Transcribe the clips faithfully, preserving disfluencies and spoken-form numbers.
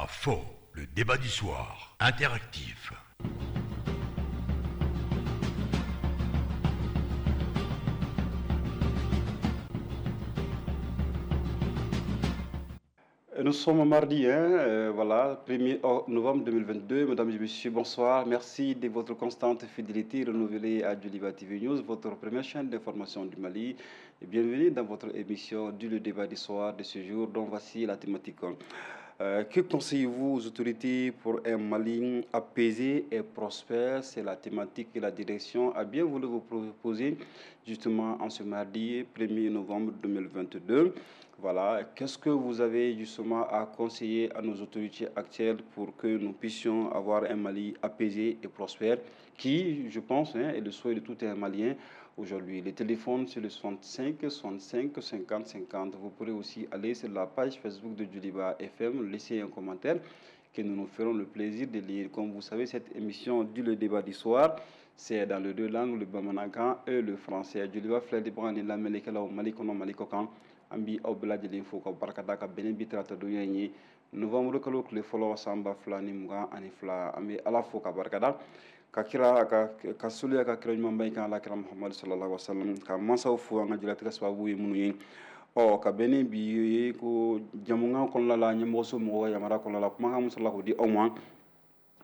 Joliba fo, le débat du soir, interactif. Nous sommes mardi, hein, euh, voilà, premier novembre deux mille vingt-deux. Mesdames et messieurs, bonsoir. Merci de votre constante fidélité renouvelée à Djoliba T V News, votre première chaîne d'information du Mali. Et bienvenue dans votre émission du Le Débat du soir de ce jour, dont voici la thématique. Euh, que conseillez-vous aux autorités pour un Mali apaisé et prospère? C'est la thématique que la direction a bien voulu vous proposer justement en ce mardi premier novembre deux mille vingt-deux. Voilà, qu'est-ce que vous avez justement à conseiller à nos autorités actuelles pour que nous puissions avoir un Mali apaisé et prospère, qui, je pense, hein, est le souhait de tout un Malien aujourd'hui. Les téléphones, c'est le soixante-cinq, soixante-cinq, cinquante, cinquante. Vous pourrez aussi aller sur la page Facebook de Djoliba F M, laisser un commentaire que nous nous ferons le plaisir de lire. Comme vous savez, cette émission du Le Débat du soir, c'est dans les deux langues, le bamanakan et le français. Djoliba filɛ de ni lamɛnnikɛlaw Mali kɔnɔ Mali kɔ kan. An bi aw bɛɛ lajɛlen fo ka barika da ka bɛn bi tarata donya in ye novembre kalo tile fɔlɔ san ba fila ni mugan ani fila. An bɛ Ala fo ka barika da ka kira ka ka soliya ka kira ɲumanba in kan Ala kira Muhamadu sallallahu alaihi wasallam, ka mansaw fo an ka jeliyatigɛ sababu ye minnu ye. Ɔ ka bɛn ni bi ye ko jamukan kɔnɔna la, ɲɛmɔgɔso mɔgɔw ka yamaruya kɔnɔna la, kumakan min sɔrɔla k'o di aw ma,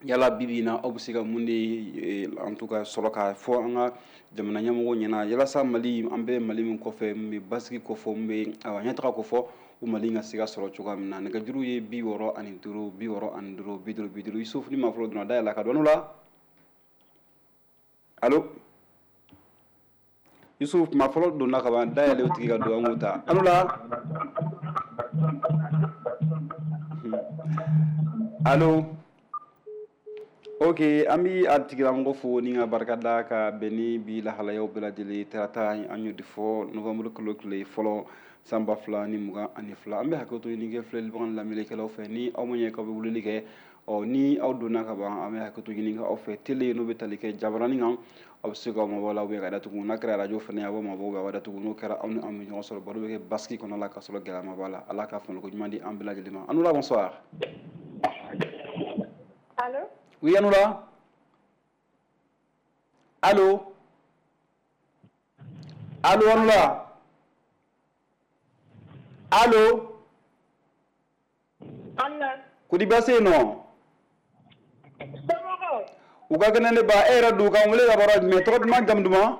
yala bi bi in na aw bɛ se ka mun de en tout cas sɔrɔ k'a fɔ an ka jamana ɲɛmɔgɔw ɲɛna yalasa Mali, an bɛ Mali min kɔfɛ, min bɛ basigi kɔfɛ, min bɛ ayiwa ɲɛtaga kɔfɛ, o Mali ka se ka sɔrɔ cogoya min na. Nɛgɛjuru ye bi wɔɔrɔ ani duuru, bi wɔɔrɔ ani duuru, bi duuru, bi duuru. Yusufu ni maa fɔlɔ donna dayɛlɛ ka don la. Allo Yusuf, maa fɔlɔ donna ka ban, dayɛlɛ o tigi ka don, an k'o ta. Allo la. Allo. Ok, an bi a tigilamɔgɔ fo ni ka barika da ka bɛn ni bi lahalayaw bɛɛ lajɛlen tarata an y'o de fɔ novembre kalo tile fɔlɔ san ba fila ni mugan ani fila. An bɛ hakɛto ɲini kɛ filɛlibaga ni lamɛnnikɛlaw fɛ, ni aw ma ɲɛ k'aw bɛ weleli kɛ, ɔ ni aw donna ka ban, an bɛ hakɛto ɲini kɛ aw fɛ. Tele n'o bɛ tali kɛ jabaranin kan, aw bɛ se k'aw mabɔ la ka datugu. N'a kɛra arajo fana ye, aw bɛ mabɔ a bɛ datugu. N'o kɛra, aw ni an bɛ ɲɔgɔn sɔrɔ, baro bɛ kɛ basigi kɔnɔ la ka sɔrɔ gɛlɛya ma b'a la. Ala ka faamuko ɲuman di an bɛɛ lajɛlen ma. Anoula, bonsoir. Allô? Oui, Anoula. Allô? Allô, Anoula? Allô? Anoula. Kodi baasi non? Somɔgɔw? U ka kɛnɛ ne ba, e yɛrɛ don k'an wele ka bɔ yɔrɔ jumɛn? Tɔgɔ duman, jamu duman?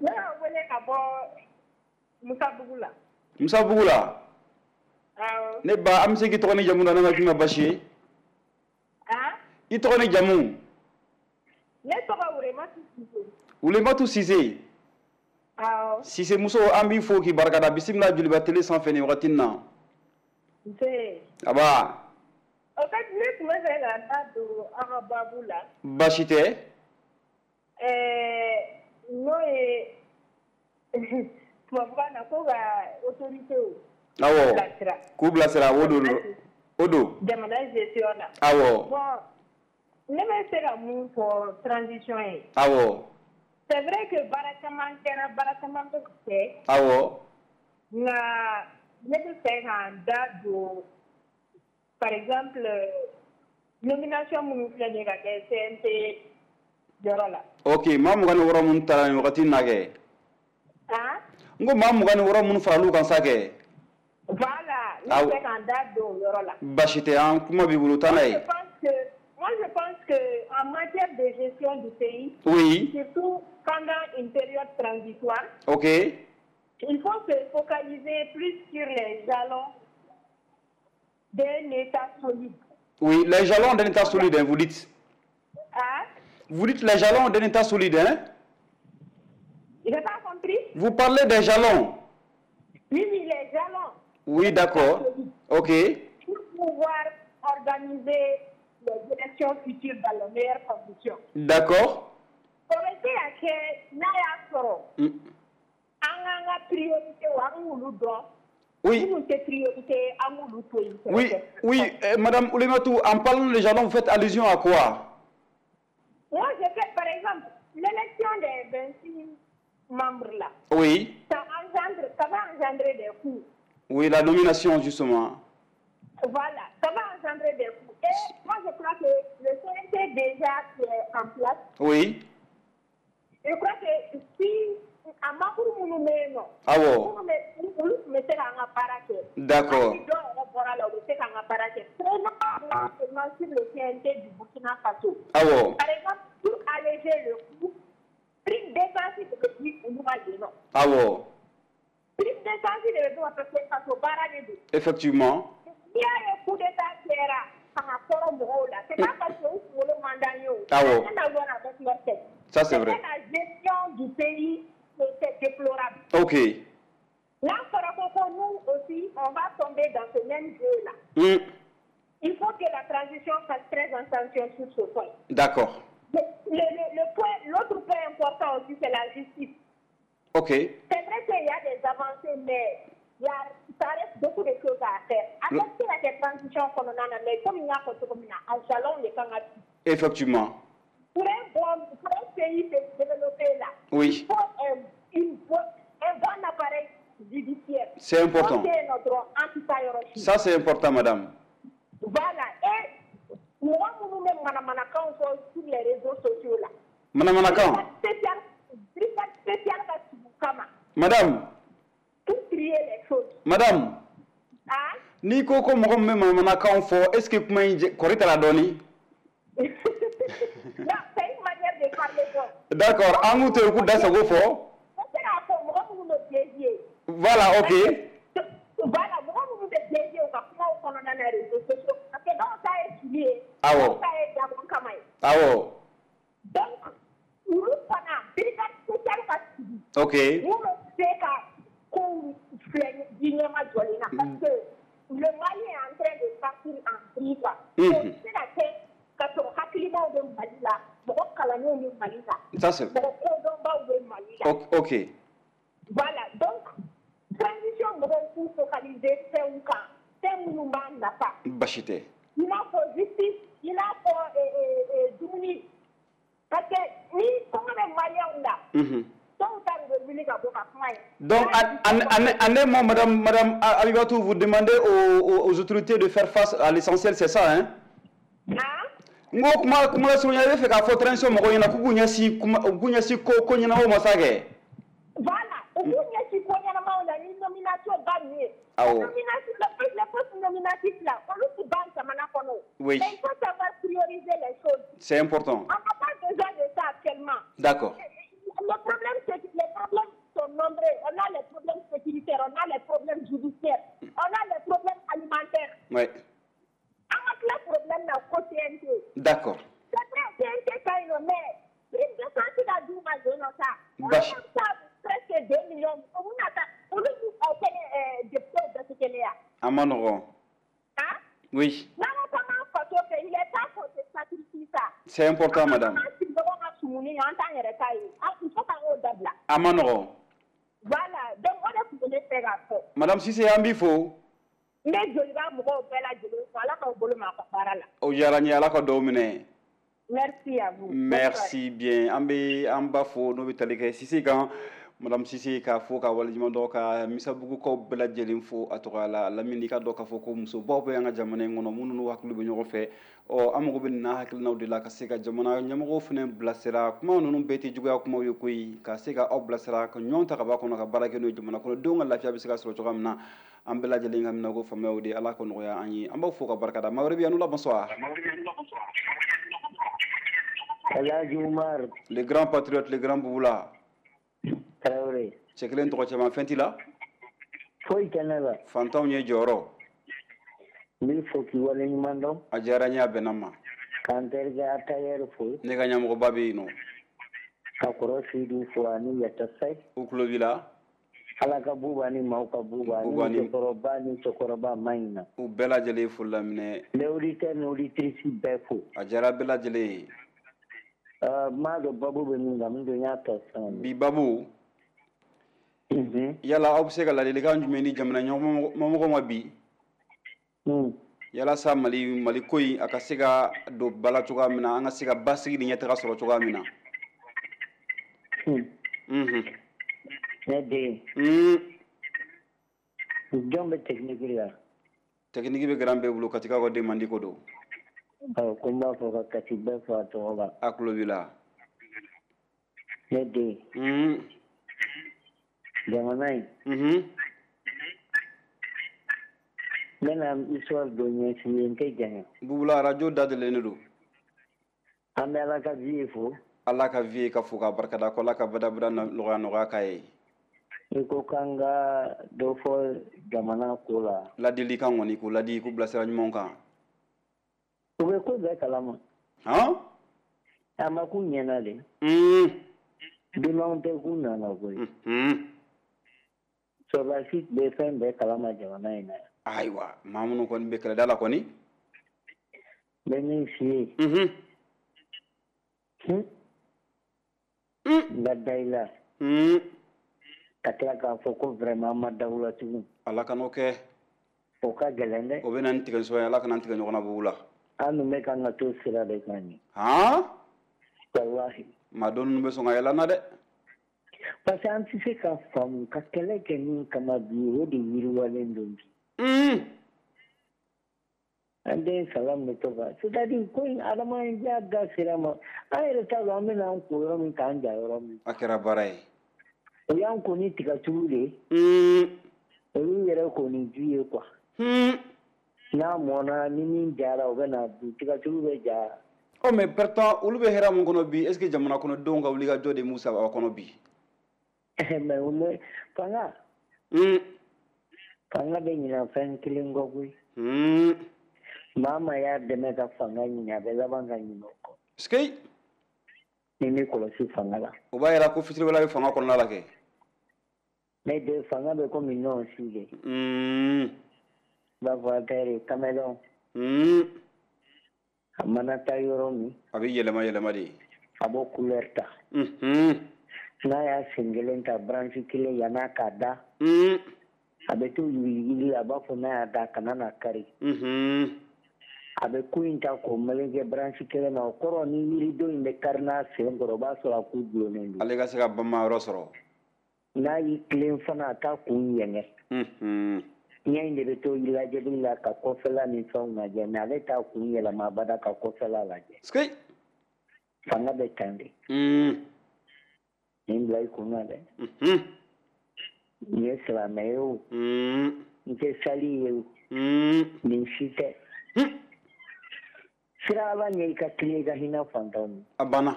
Ne y'a wele ka bɔ Musabugu la. Musabugu la? Awɔ. Ne ba, an bɛ se k'i tɔgɔ ni jamu dɔn, ne ma k'i ma baasi ye? I tɔgɔ ni jamu? Ne tɔgɔ Wulematu Sise. Wulematu Sise? Awɔ. Sise muso, an b'i fo k'i barikada. Bisimila Joliba télé sanfɛ nin wagati in na. Nse. Aba. O fait, ne tun bɛ fɛ ka n da don aw ka baabu la. Baasi tɛ. Ɛɛ n'o ye tubabukan na ko ka autorités Awɔ. bilasira. K'u bilasira, o don. O don. Jamana gestion na. Awɔ. Bon, ne bɛ se ka mun fɔ transition ye. Awɔ. C'est vrai que baara caman kɛra, baara caman bɛ ka kɛ. Awɔ. Nka ne bɛ fɛ ka n da don, par exemple, nomination minnu filɛ nin ye ka kɛ C N T yɔrɔ la. Ok, maa mugan ni wɔɔrɔ minnu taara nin wagati in na kɛ. Han? N ko maa mugan ni wɔɔrɔ minnu faral'u kan sa kɛ. Voilà, ne bɛ fɛ ka n da don o yɔrɔ la. Baasi tɛ, an kuma b'i bolo, taa n'a ye. Moi, je pense que Moi, je pense qu'en matière de gestion du pays, oui, surtout pendant une période transitoire, ok, il faut se focaliser plus sur les jalons d'un État solide. Oui, les jalons d'un État solide, hein, vous dites. Hein? Vous dites les jalons d'un État solide, hein? Je n'ai pas compris. Vous parlez des jalons. Oui, oui, les jalons. Oui, d'accord. Ok. Pour pouvoir organiser les élections futures dans les meilleures conditions. D'accord. O bɛ se ka kɛ n'a y'a sɔrɔ an k'an ka priorité an k'olu dɔn. Oui. Minnu tɛ priorité, an k'olu to yen. Oui, oui, euh, Madame Oulimatou, en parlant des jalons, vous faites allusion à quoi? Moi, je fais, par exemple, l'élection des vingt-six membres là. Oui. Ça engendre, ça va engendrer des coûts. Oui, la nomination, justement. Voilà, ça va engendrer des coûts. Et moi, je crois que le C N T déjà qui est en place. Oui. Je crois que si a membre minnu bɛ yen nɔ. Awɔ. Minnu bɛ olu tun bɛ se k'an ka baara kɛ. D'accord. Hali dɔw yɛrɛ bɔra la u bɛ se k'an ka baara kɛ. Prenons seulement sur le C N T du Burkina Faso. Awɔ. Par exemple, pour alléger le coût, prime d'essence de bɛ di olu ma yen nɔ. Awɔ. Prime d'essence de bɛ d'u ma parce que faso baara de don. Effectivement. N'i y'a ye coup d'état kɛra fanga kɔrɔ mɔgɔw la, c'est pas parce que u kunkolo man d'an ye o. Awɔ. Rien à voir avec leur tête. Ça c'est vrai. La gestion du pays, c'est déplorable. Ok. Là, nous aussi, on va tomber dans ce même jeu-là. Mm. Il faut que la transition fasse très attention sur ce point. D'accord. Le, le, le point, l'autre point important aussi, c'est la justice. Ok. C'est vrai qu'il y a des avancées, mais il y a, ça reste beaucoup de choses à faire. Avec la transition qu'on en a, mais comme il y a un jalon, les Canadiens. Effectivement. Pour un bon, pour un pays développé là, oui. Il faut un, une bo, un bon appareil judiciaire. C'est important. Ça, c'est important, madame. Voilà. Et moi, nous même manamanakan sur les réseaux sociaux là. Manamanakan. Spécial, spécial, madame. Pour trier les choses. Madame. Ah? Ni ko ko mɔgɔ min bɛ manamanakan fɔ, est-ce que kuma in kɔri t'a la dɔɔni? Non, c'est une manière de parler donc. D'accord, an k'u to yen k'u da sago fɔ. O tɛ k'a fɔ mɔgɔ minnu bɛ piéger. Voilà, ok. Voilà, mɔgɔ minnu bɛ piéger u ka kumaw kɔnɔna na réseaux sociaux parce que dɔw ta ye fili ye. Awɔ. Dɔw ta ye dabɔ kama ye. Awɔ. Donc, olu fana brigade spéciale ka sigi. Ok. Mun bɛ se ka kow filɛ ji ɲɛma jɔlen na parce que le Mali est en train de partir en vrille quoi. Mm. O bɛ se ka kɛ ka sɔrɔ hakilimaw bɛ Mali la, mɔgɔ kalannenw bɛ Mali la. Ça c'est. Mɔgɔ kodɔnbaw bɛ Mali la. Ok. Voilà, donc transition mɔgɔw k'u focaliser fɛnw kan, fɛn minnu b'an nafa. Basi tɛ. I n'a fɔ justice, i n'a fɔ dumuni. Parce que ni kɔngɔ bɛ Maliyɛnw la. Mhm. Donc, en un mot, madame, madame Abibatou, vous demandez aux, aux, aux autorités de faire face à l'essentiel, c'est ça, hein? Ngo kuma kuma la surunya i bɛ fɛ k'a fɔ transition mɔgɔw ɲɛna k'u k'u ɲɛsin kuma u k'u ɲɛsin ko ko ɲɛnamaw ma sa kɛ. Voilà, u k'u ɲɛsin ko ɲɛnamaw la ni nomination ba ninnu ye. Awɔ. Nomination, les postes nominatifs là, olu ti ban jamana kɔnɔ. Oui. Mais il faut savoir prioriser les choses. C'est important. On n'a pas besoin de ça actuellement. D'accord. Le problème, c'est que les problèmes sont nombreux. On a les problèmes sécuritaires, on a les problèmes judiciaires, on a les problèmes alimentaires. Oui. On a plein de problèmes dans le C N T. D'accord. C'est vrai, C N T, ça, il mais prime de santé dans douze mois, ça. On a ça presque deux millions. On a ça. On a député de ce qu'il y a. Amanoron. Hein? Oui. Non, non, il est temps qu'on se sacrifie ça. C'est important, madame. Amanoron. Voilà, donc on a voulu faire à Madame Cissé, an b'i fo. Ne joliba mɔgɔw bɛɛ lajɛlen fo, Ala k'aw bolo mɛn a ka baara la. O diyara n ye, Ala ka dugawu minɛ. Merci à vous. Merci bien. An bɛ an ba fo n'o bɛ tali kɛ Cissé kan. Madame Cissé k'a fo ka waleɲuman dɔn ka Misabugukaw bɛɛ lajɛlen fo a tɔgɔ la. Lamini ka dɔn k'a fɔ ko musobaw bɛ an ka jamana in kɔnɔ minnu n'u hakili bɛ ɲɔgɔn fɛ. Ɔ an mago bɛ nin n'a hakilinaw de la ka se ka jamana ɲɛmɔgɔw fana bilasira. Kuma ninnu bɛɛ tɛ juguya kumaw ye koyi, ka se ka aw bilasira ka ɲɔgɔn ta ka bɔ a kɔnɔ ka baara kɛ n'o ye jamana kɔnɔdenw ka lafiya bɛ se ka sɔrɔ cogoya min na. An bɛɛ lajɛlen ka minɛ ko faamuyaw de Ala ka nɔgɔya an ye. An b'aw fo ka barika da. Maa wɛrɛ bɛ yan, bonsoir. Elhaji Umar. Le grand patriote, le grand Bouboula. Traoré. Cɛ kelen tɔgɔ caman fɛn t'i la? Foyi tɛ ne la. Fantanw ye jɔyɔrɔ. N b'i fo k'i waleɲuman dɔn. A diyara n ye, a bɛnna n ma. K'an terikɛ Atayɛri fo. Ne ka ɲɛmɔgɔba bɛ yen nɔ. Ka kɔrɔ Seydou fo ani Yata Sayi. U tulo b'i la. Ala ka buba ni maaw ka buba ni cɛkɔrɔba ni cɛkɔrɔba ma ɲi na. U bɛɛ lajɛlen foli laminɛ. Les auditeurs ni auditrices bɛɛ fo. A diyara bɛɛ lajɛlen ye. N m'a dɔn babu bɛ min kan, min don n y'a ta sisan. Bi babu. Yala aw bɛ se ka ladilikan jumɛn di jamana ɲɛmɔgɔ ma bi? Yalasa Mali Mali ko in a ka se ka don ba la cogoya min na, an ka se ka basigi ni ɲɛtaga sɔrɔ cogoya min na. Ne den. Jɔn bɛ technique la? Technique bɛ garan bɛɛ bolo, Katikaw ka den mandi ko don. Awɔ, ko n b'a fɔ ka Kati bɛɛ fɔ a tɔgɔ la. A tulo b'i la. Ne den. Un. Jamana in. Unhun. N bɛna histoire dɔ ɲɛf'i ye, n tɛ janya. Bubula, radio dayɛlɛlen don. An bɛ Ala ka vie fo. Ala ka vie ka fo k'a barikada, ko Ala ka badabada nɔgɔya nɔgɔya k'a ye. I ko k'an ka dɔ fɔ jamana ko la. Ladilikan kɔni, k'u ladi, k'u bilasira ɲumanw kan. U bɛ ko bɛɛ kalama. Han? A ma k'u ɲɛna de. Un. Dunanw tɛ k'u nana koyi. Unhun. Sɔrɔdasi bɛ fɛn bɛɛ kalama jamana in na. Ayiwa, maa minnu kɔni bɛ kɛlɛda la kɔni. N bɛ min f'i ye. Unhun. Hun. Un. N ka da i la. Un. Ka tila k'a fɔ ko vraiment an ma da u la tugun. Ala kan'o kɛ. O ka gɛlɛn dɛ. O bɛ na ni tigɛsɔn ye, Ala kana tigɛ ɲɔgɔn na Bubula. An dun bɛ kan ka to sira de kan nin. Han? Walahi. Maa dɔ ninnu bɛ sɔn ka yɛlɛ an na dɛ. Parce que an tɛ se ka faamu ka kɛlɛ kɛ min kama bi, o de yiriwalen don bi. Un. An den salam bɛ to ka, c'est à dire ko in adamadenya da sera ma, an yɛrɛ t'a dɔn an bɛna an ko yɔrɔ min k'an ja yɔrɔ min. A kɛra baara ye. O y'an ko ni tigatulu de ye. Un. Olu yɛrɛ ko ni ji ye quoi. Un. N'a mɔnna ni min jara, o bɛ na dun, tigatulu bɛ ja. Ɔ, mais pourtant olu bɛ hɛrɛ mun kɔnɔ bi, est ce que jamana kɔnɔdenw ka wulikajɔ de m'u saba kɔnɔ bi? Mais o bɛ fanga. Un. Fanga bɛ ɲinɛ fɛn kelen kɔ koyi. Un. Maa maa y'a dɛmɛ ka fanga ɲini, a bɛ laban ka ɲinɛ o kɔ. Est-ce Ni m'i kɔlɔsi fanga la. O b'a yira ko fitiriwale bɛ fanga kɔnɔna la kɛ. Ne den, fanga bɛ komi ɲɔgɔn si de. Un. I b'a fɔ a tɛ caméléon. Un. A mana taa yɔrɔ min. A bɛ yɛlɛma yɛlɛma de. A b'o couleur ta. Unhun. N'a y'a sen kelen ta branche kelen yann'a k'a da. Un. A bɛ to yuguyuguli, a b'a fɔ n'a y'a da kana na kari. Unhun. A bɛ ku in ta k'o meleke branche kelen na, o kɔrɔ ni yiridenw in bɛ kari n'a sen kɔrɔ, o b'a sɔrɔ a ku dulonnen don. Ale ka se ka bama yɔrɔ sɔrɔ. N'a y'i tilen fana, a t'a kun yɛngɛ. Unhun. Ɲɛ in de bɛ to lajɛli la ka kɔfɛla ni fɛnw lajɛ, mais ale t'a kun yɛlɛma abada ka kɔfɛla lajɛ. Est-ce Fanga bɛ tan de. Un. Nin bila i kun na dɛ. Unhun. Nin ye silamɛ ye o. Un. N tɛ sali ye o. Un. Nin si tɛ. Un. Sira Ala ɲɛ, i ka tilen, i ka hinɛ fantanw na. A banna.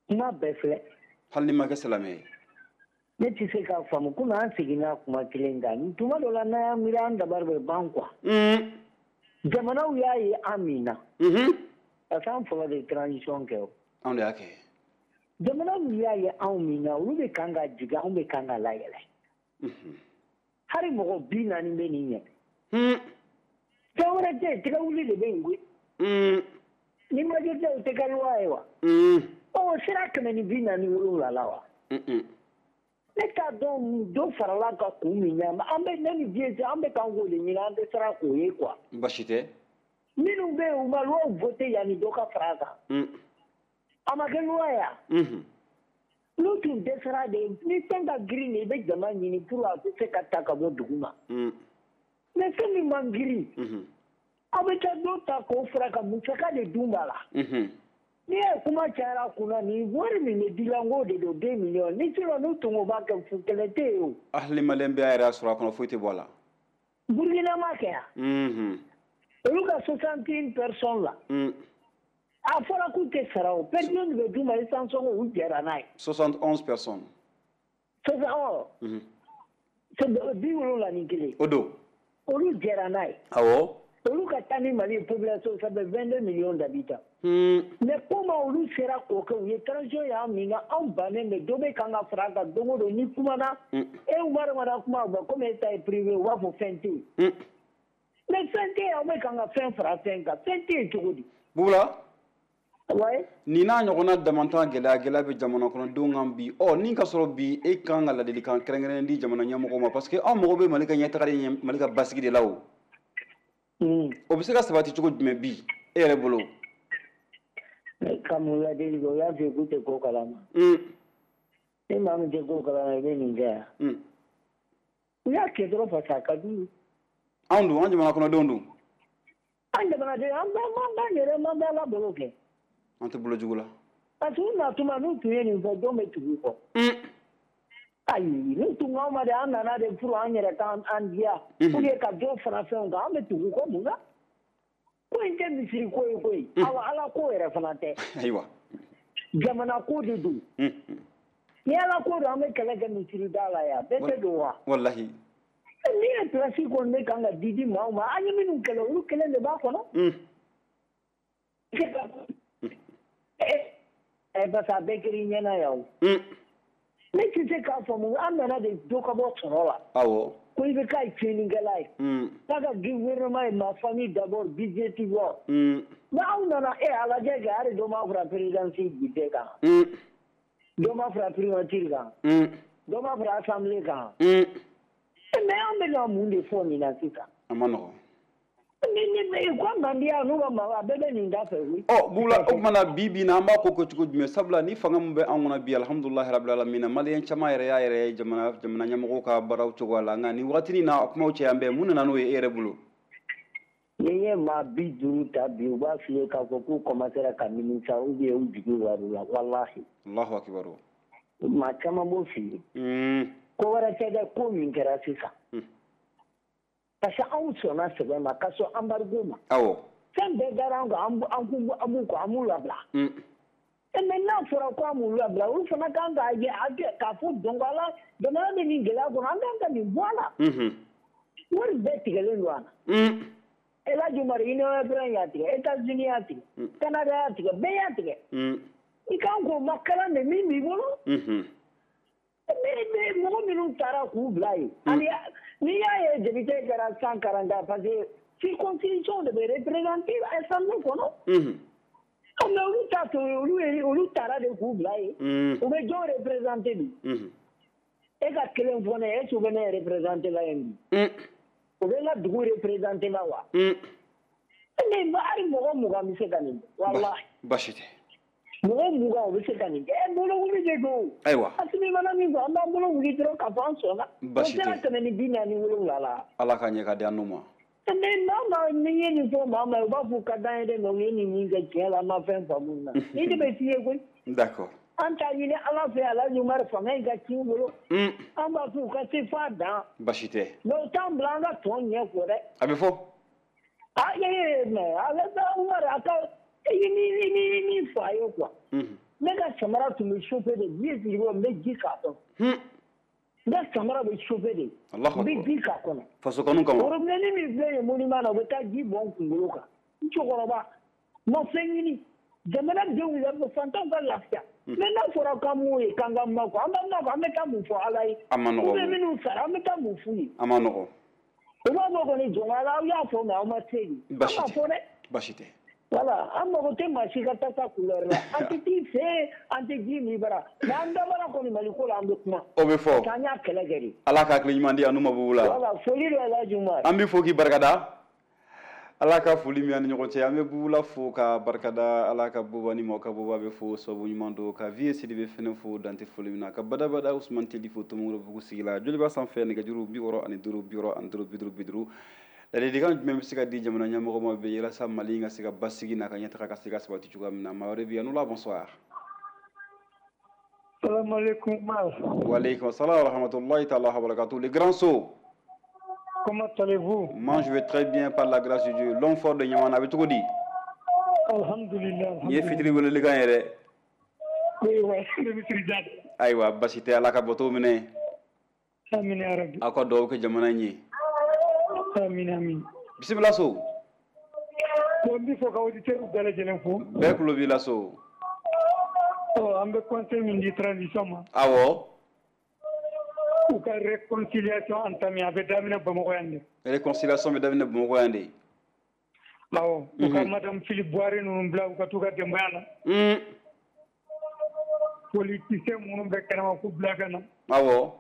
Kuma bɛɛ filɛ. Hali ni ma kɛ silamɛ ye. Ne tɛ se k'a faamu komi an seginna kuma kelen kan. Tuma dɔ la, n'an y'an miiri, an dabari bɛ ban quoi. Un. Jamanaw y'a ye an min na. Unhun. Parce que an fɔlɔ de ye transition kɛ o. Anw de y'a kɛ. Jamanaw y'a ye anw min na, olu bɛ kan ka jigin, anw bɛ kan ka layɛlɛ. Unhun. Hali mɔgɔ bi naani bɛ nin ɲɛ. Un. Fɛn wɛrɛ tɛ yen, tɛgɛ wuli de bɛ yen koyi. Un. Ni majorité, o tɛ kɛ loi ye wa? Un. Ɔ, sira kɛmɛ ni bi naani wolonwula la wa? Un. Ne t'a dɔn dɔ farala ka kun min ɲɛ, an bɛ ne ni diɲɛ cɛ, an bɛ kan k'o de ɲini, an tɛ siran k'o ye quoi. Basi tɛ. Minnu bɛ yen, u ma loi voté yanni dɔ ka fara a kan. Un. A ma kɛ loi ye wa? Unhun. N'u tun dɛsɛra de, ni fɛn ka girin de, i bɛ jama ɲini pour a bɛ se ka ta ka bɔ dugu ma. Un. Mais fɛn min man girin. Unhun. Aw bɛ taa dɔ ta k'o fara ka musaka de dun b'a la. Unhun. N'i ye kuma cayara kunna, nin wari min bɛ dilan k'o de don deux millions ni, sinon n'u tun ko b'a kɛ fu, kɛlɛ tɛ yen o. Hali maliyɛn bɛɛ y'a yɛrɛ sɔrɔ a kɔnɔ, foyi tɛ bɔ a la. Burukina ma kɛ yan. Unhun. Olu ka soixante une personnes la. Un. A fɔra k'u tɛ sara o, per diem de bɛ d'u ma, essence sɔngɔ, u jɛra n'a ye. soixante onze personnes. Soixante ɔ. Unhun. Bi wolonwula ni kelen. O don. Olu jɛra n'a ye. Awɔ. Olu ka taa ni Mali population, ça fait vingt-deux millions d'habitants. Un. Mais comment olu sera k'o kɛ? U ye transition y'an min na, anw bannen bɛ, dɔ bɛ kan ka fara a kan don o don ni kumana. Un. E Umaru mana kuma, u bɛ komi e ta ye privé, u b'a fɔ fɛn tɛ yen. Un. Mais fɛn tɛ yen, aw bɛ kan ka fɛn fara fɛn kan, fɛn tɛ yen cogo di? Bubula. Ouais. Nin n'a ɲɔgɔnna damantan gɛlɛya gɛlɛya bɛ jamana kɔnɔdenw kan bi. Ɔ, ni ka sɔrɔ bi, e kan ka ladilikan kɛrɛnkɛrɛnnen di jamana ɲɛmɔgɔw ma, parce que anw mago bɛ Mali ka ɲɛtaga de ɲɛ, Mali ka basigi de la o. Mm. O bɛ se ka sabati cogo jumɛn bi, e yɛrɛ bolo? Ka mun ladili kɛ? O y'a f'i ye k'u tɛ ko kalama. Un. Ni maa min tɛ ko kalama, i bɛ nin kɛ yan. Un. U y'a kɛ dɔrɔn parce que a ka d'u ye. Anw dun, an jamana kɔnɔdenw dun. An jamanaden, an b'an yɛrɛ an bɛ Ala bolo kɛ. An tɛ bolo jugu la. Parce que u natuma n'u tun ye nin fɔ, jɔn bɛ tugu u kɔ? Ayi, n'u tun k'anw ma de, an nana de pour an yɛrɛ k'an diya. Ou bien ka dɔ fara fɛnw kan, an bɛ tugu u kɔ mun na? Ko in tɛ misiri ko ye koyi. Awa, Ala ko yɛrɛ fana tɛ. Ayiwa. Jamana ko de don. Ni Ala ko don, an bɛ kɛlɛ kɛ misiri da la yan. Bɛɛ tɛ don wa? Walahi. Ni ye place kɔni bɛ kan ka di di maaw ma, an ye minnu kɛlɛ, olu kelen de b'a kɔnɔ. Ɛ parce que a bɛɛ kɛra i ɲɛna yan o. Ne tɛ se k'a faamu, an nana de dɔ ka bɔ sɔrɔ la. Awɔ. Ko i bɛ k'a ye tiɲɛnikɛla ye. K'a ka gouvernement ye ma famille d'abord, budgétivore. Mais aw nana e a lajɛ kɛ, hali dɔ ma fara présidence budget kan. Dɔ ma fara primature kan. Dɔ ma fara assemblée kan. Mais an bɛna mun de fɔ nin na sisan? A ma nɔgɔn. Ni ni ko mandiya n'u ka maa a bɛɛ bɛ nin da fɛ koyi. Ɔ Bubula, o tuma na bi bi in na an b'a ko kɛ cogo jumɛn? Sabula ni fanga min bɛ an kɔnɔ bi, alhamdulilahi rabil alamina, maliyɛn caman yɛrɛ y'a yɛrɛ ye jamana jamana ɲɛmɔgɔw ka baaraw cogoya la, nka nin wagatinin na a kumaw caya bɛɛ, mun nana n'o ye e yɛrɛ bolo? Ni ye maa bi duuru ta bi, u b'a f'i ye k'a fɔ k'u commencera ka nimisa ou bien u jigi war'u la, walahi. Allahu akibaru. Maa caman b'o f'i ye. Ko wɛrɛ tɛ dɛ, ko min kɛra sisan. Parce que anw sɔnna sɛbɛn ma, ka sɔn embargo ma. Awɔ. Fɛn bɛɛ dara an kan, an b'u kɔ, an b'u labila. Mais n'a fɔra ko an b'u labila, olu fana kan k'a ye k'a fɔ donc ala jamana bɛ nin gɛlɛya kɔnɔ, an kan ka nin bɔ a la. Wari bɛɛ tigɛlen don a la. El Hadj Umar, Union européenne y'a tigɛ, États-Unis y'a tigɛ, Canada y'a tigɛ, bɛɛ y'a tigɛ. I kan k'o makalan de min b'i bolo. Mais mɔgɔ minnu taara k'u bila yen, ani n'i y'a ye député kɛra cent quarante parce que circonscription de bɛ représenter assemblée kɔnɔ. Mais olu ta to olu ye, olu taara de k'u bila yen. U bɛ jɔn représenter bi? E ka kelen fɔ ne ye, est-ce que u bɛ ne représenter la yen bi? U bɛ n ka dugu représenter la wa? Mais hali mɔgɔ mugan bɛ se ka nin kɛ, walahi. Baasi tɛ. Mɔgɔ mugan o bɛ se ka nin kɛ, ɛ bolo wuli de don. Ayiwa. Asimi mana min fɔ, an b'an bolo wuli dɔrɔn k'a fɔ an sɔnna. Baasi tɛ. O sera kɛmɛ ni bi naani wolonwula la. Ala ka ɲɛ ka di an n'u ma. Mais maa maa ni ye nin fɔ maa maa, u b'a fɔ ka d'an ye dɛ, mais u ye nin min kɛ tiɲɛ la, an ma fɛn faamu na. Ni de bɛ f'i ye koyi. D'accord. An t'a ɲini Ala fɛ, Alhaji Umaru, fanga in ka ci u bolo. An b'a fɔ u ka se f'a dan. Baasi tɛ. Mais u t'an bila an ka tɔn ɲɛ fɔ dɛ. A bɛ fɔ. Ah ee mais Alhaji Umaru, a ka i ni ni ni fɔ a ye quoi. Ne ka samara tun bɛ chauffer de, ji sigi n bɛ ji k'a kɔnɔ. N ka samara bɛ chauffer de. N bɛ ji k'a kɔnɔ. Faso kanu kama. Robinet min filɛ nin ye monument na, u bɛ taa ji bɔn n kunkolo kan. N cɛkɔrɔba ma fɛn ɲini. Jamana denw yɛrɛ fantanw ka lafiya. Mais n'a fɔra k'an m'o ye k'an ka makɔ, an b'an makɔ, an bɛ taa mun fɔ Ala ye? A ma nɔgɔn. Ou bien minnu sara, an bɛ taa mun f'u ye? A ma nɔgɔn. U b'a fɔ kɔni jɔn Ala, aw y'a fɔ mais aw ma se de. Baasi tɛ. An b'a fɔ dɛ. Baasi tɛ. Voilà, an mago tɛ maa si ka tasa couleur la. An tɛ t'i fɛ yen, an tɛ ji min bara. Mais an dabara kɔni Mali ko la, an bɛ kuma. O bɛ fɔ. Parce que an y'a kɛlɛ kɛ de. Ala ka hakili ɲuman di an n'u ma Bubula. Voilà, foli don Alhaji Umaru. An b'i fo k'i barikada. Ala ka foli min an ni ɲɔgɔn cɛ, an bɛ Bubula fo ka barikada, Ala ka buba ni mɔgɔ ka buba bɛ fo sababu ɲuman don, ka Vie Sidibe fɛnɛ fo dante foli min na, ka badabada Usman Teli fo Tomokɔrɔbugu sigi la, Joliba sanfɛ nɛgɛjuru bi wɔɔrɔ ani duuru bi wɔɔrɔ ani duuru bi duuru bi duuru. Ladilikan jumɛn bɛ se ka di jamana ɲɛmɔgɔ ma bi walasa Mali ka se ka basigi n'a ka ɲɛtaga ka se ka sabati cogoya min na? Maa wɛrɛ bɛ yen, Anula, bonsoir. Salam alaikum. Wa alaikum salam wa rahmatullahi ta'ala wa barakatuh. Le grand saut. Comment allez-vous? Moi, je vais très bien par la grâce de Dieu. L'homme fort de Niamana, a bɛ cogo di? Alhamdulillah. Nin ye fitiri welelikan ye dɛ. Oui, oui, ne bɛ fitiri da. Ayiwa, basi tɛ, Ala ka bato minɛ. Amin ya Rabbi. Aw ka dugawu kɛ jamana in ye. Amin, amin. Bisimila so. Bon, n b'i fɔ ka auditeurs bɛɛ lajɛlen fo. Bɛɛ tulo b'i la so. Ɔ, an bɛ conseil min di transition ma. Awɔ. U ka réconciliation entamée, a bɛ daminɛ Bamakɔ yan de. Réconciliation bɛ daminɛ Bamakɔ yan de. Awɔ, u ka madame Philippe Boiré ninnu bila u ka t'u ka denbaya la. Politicien minnu bɛ kɛnɛma k'u bila ka na. Awɔ.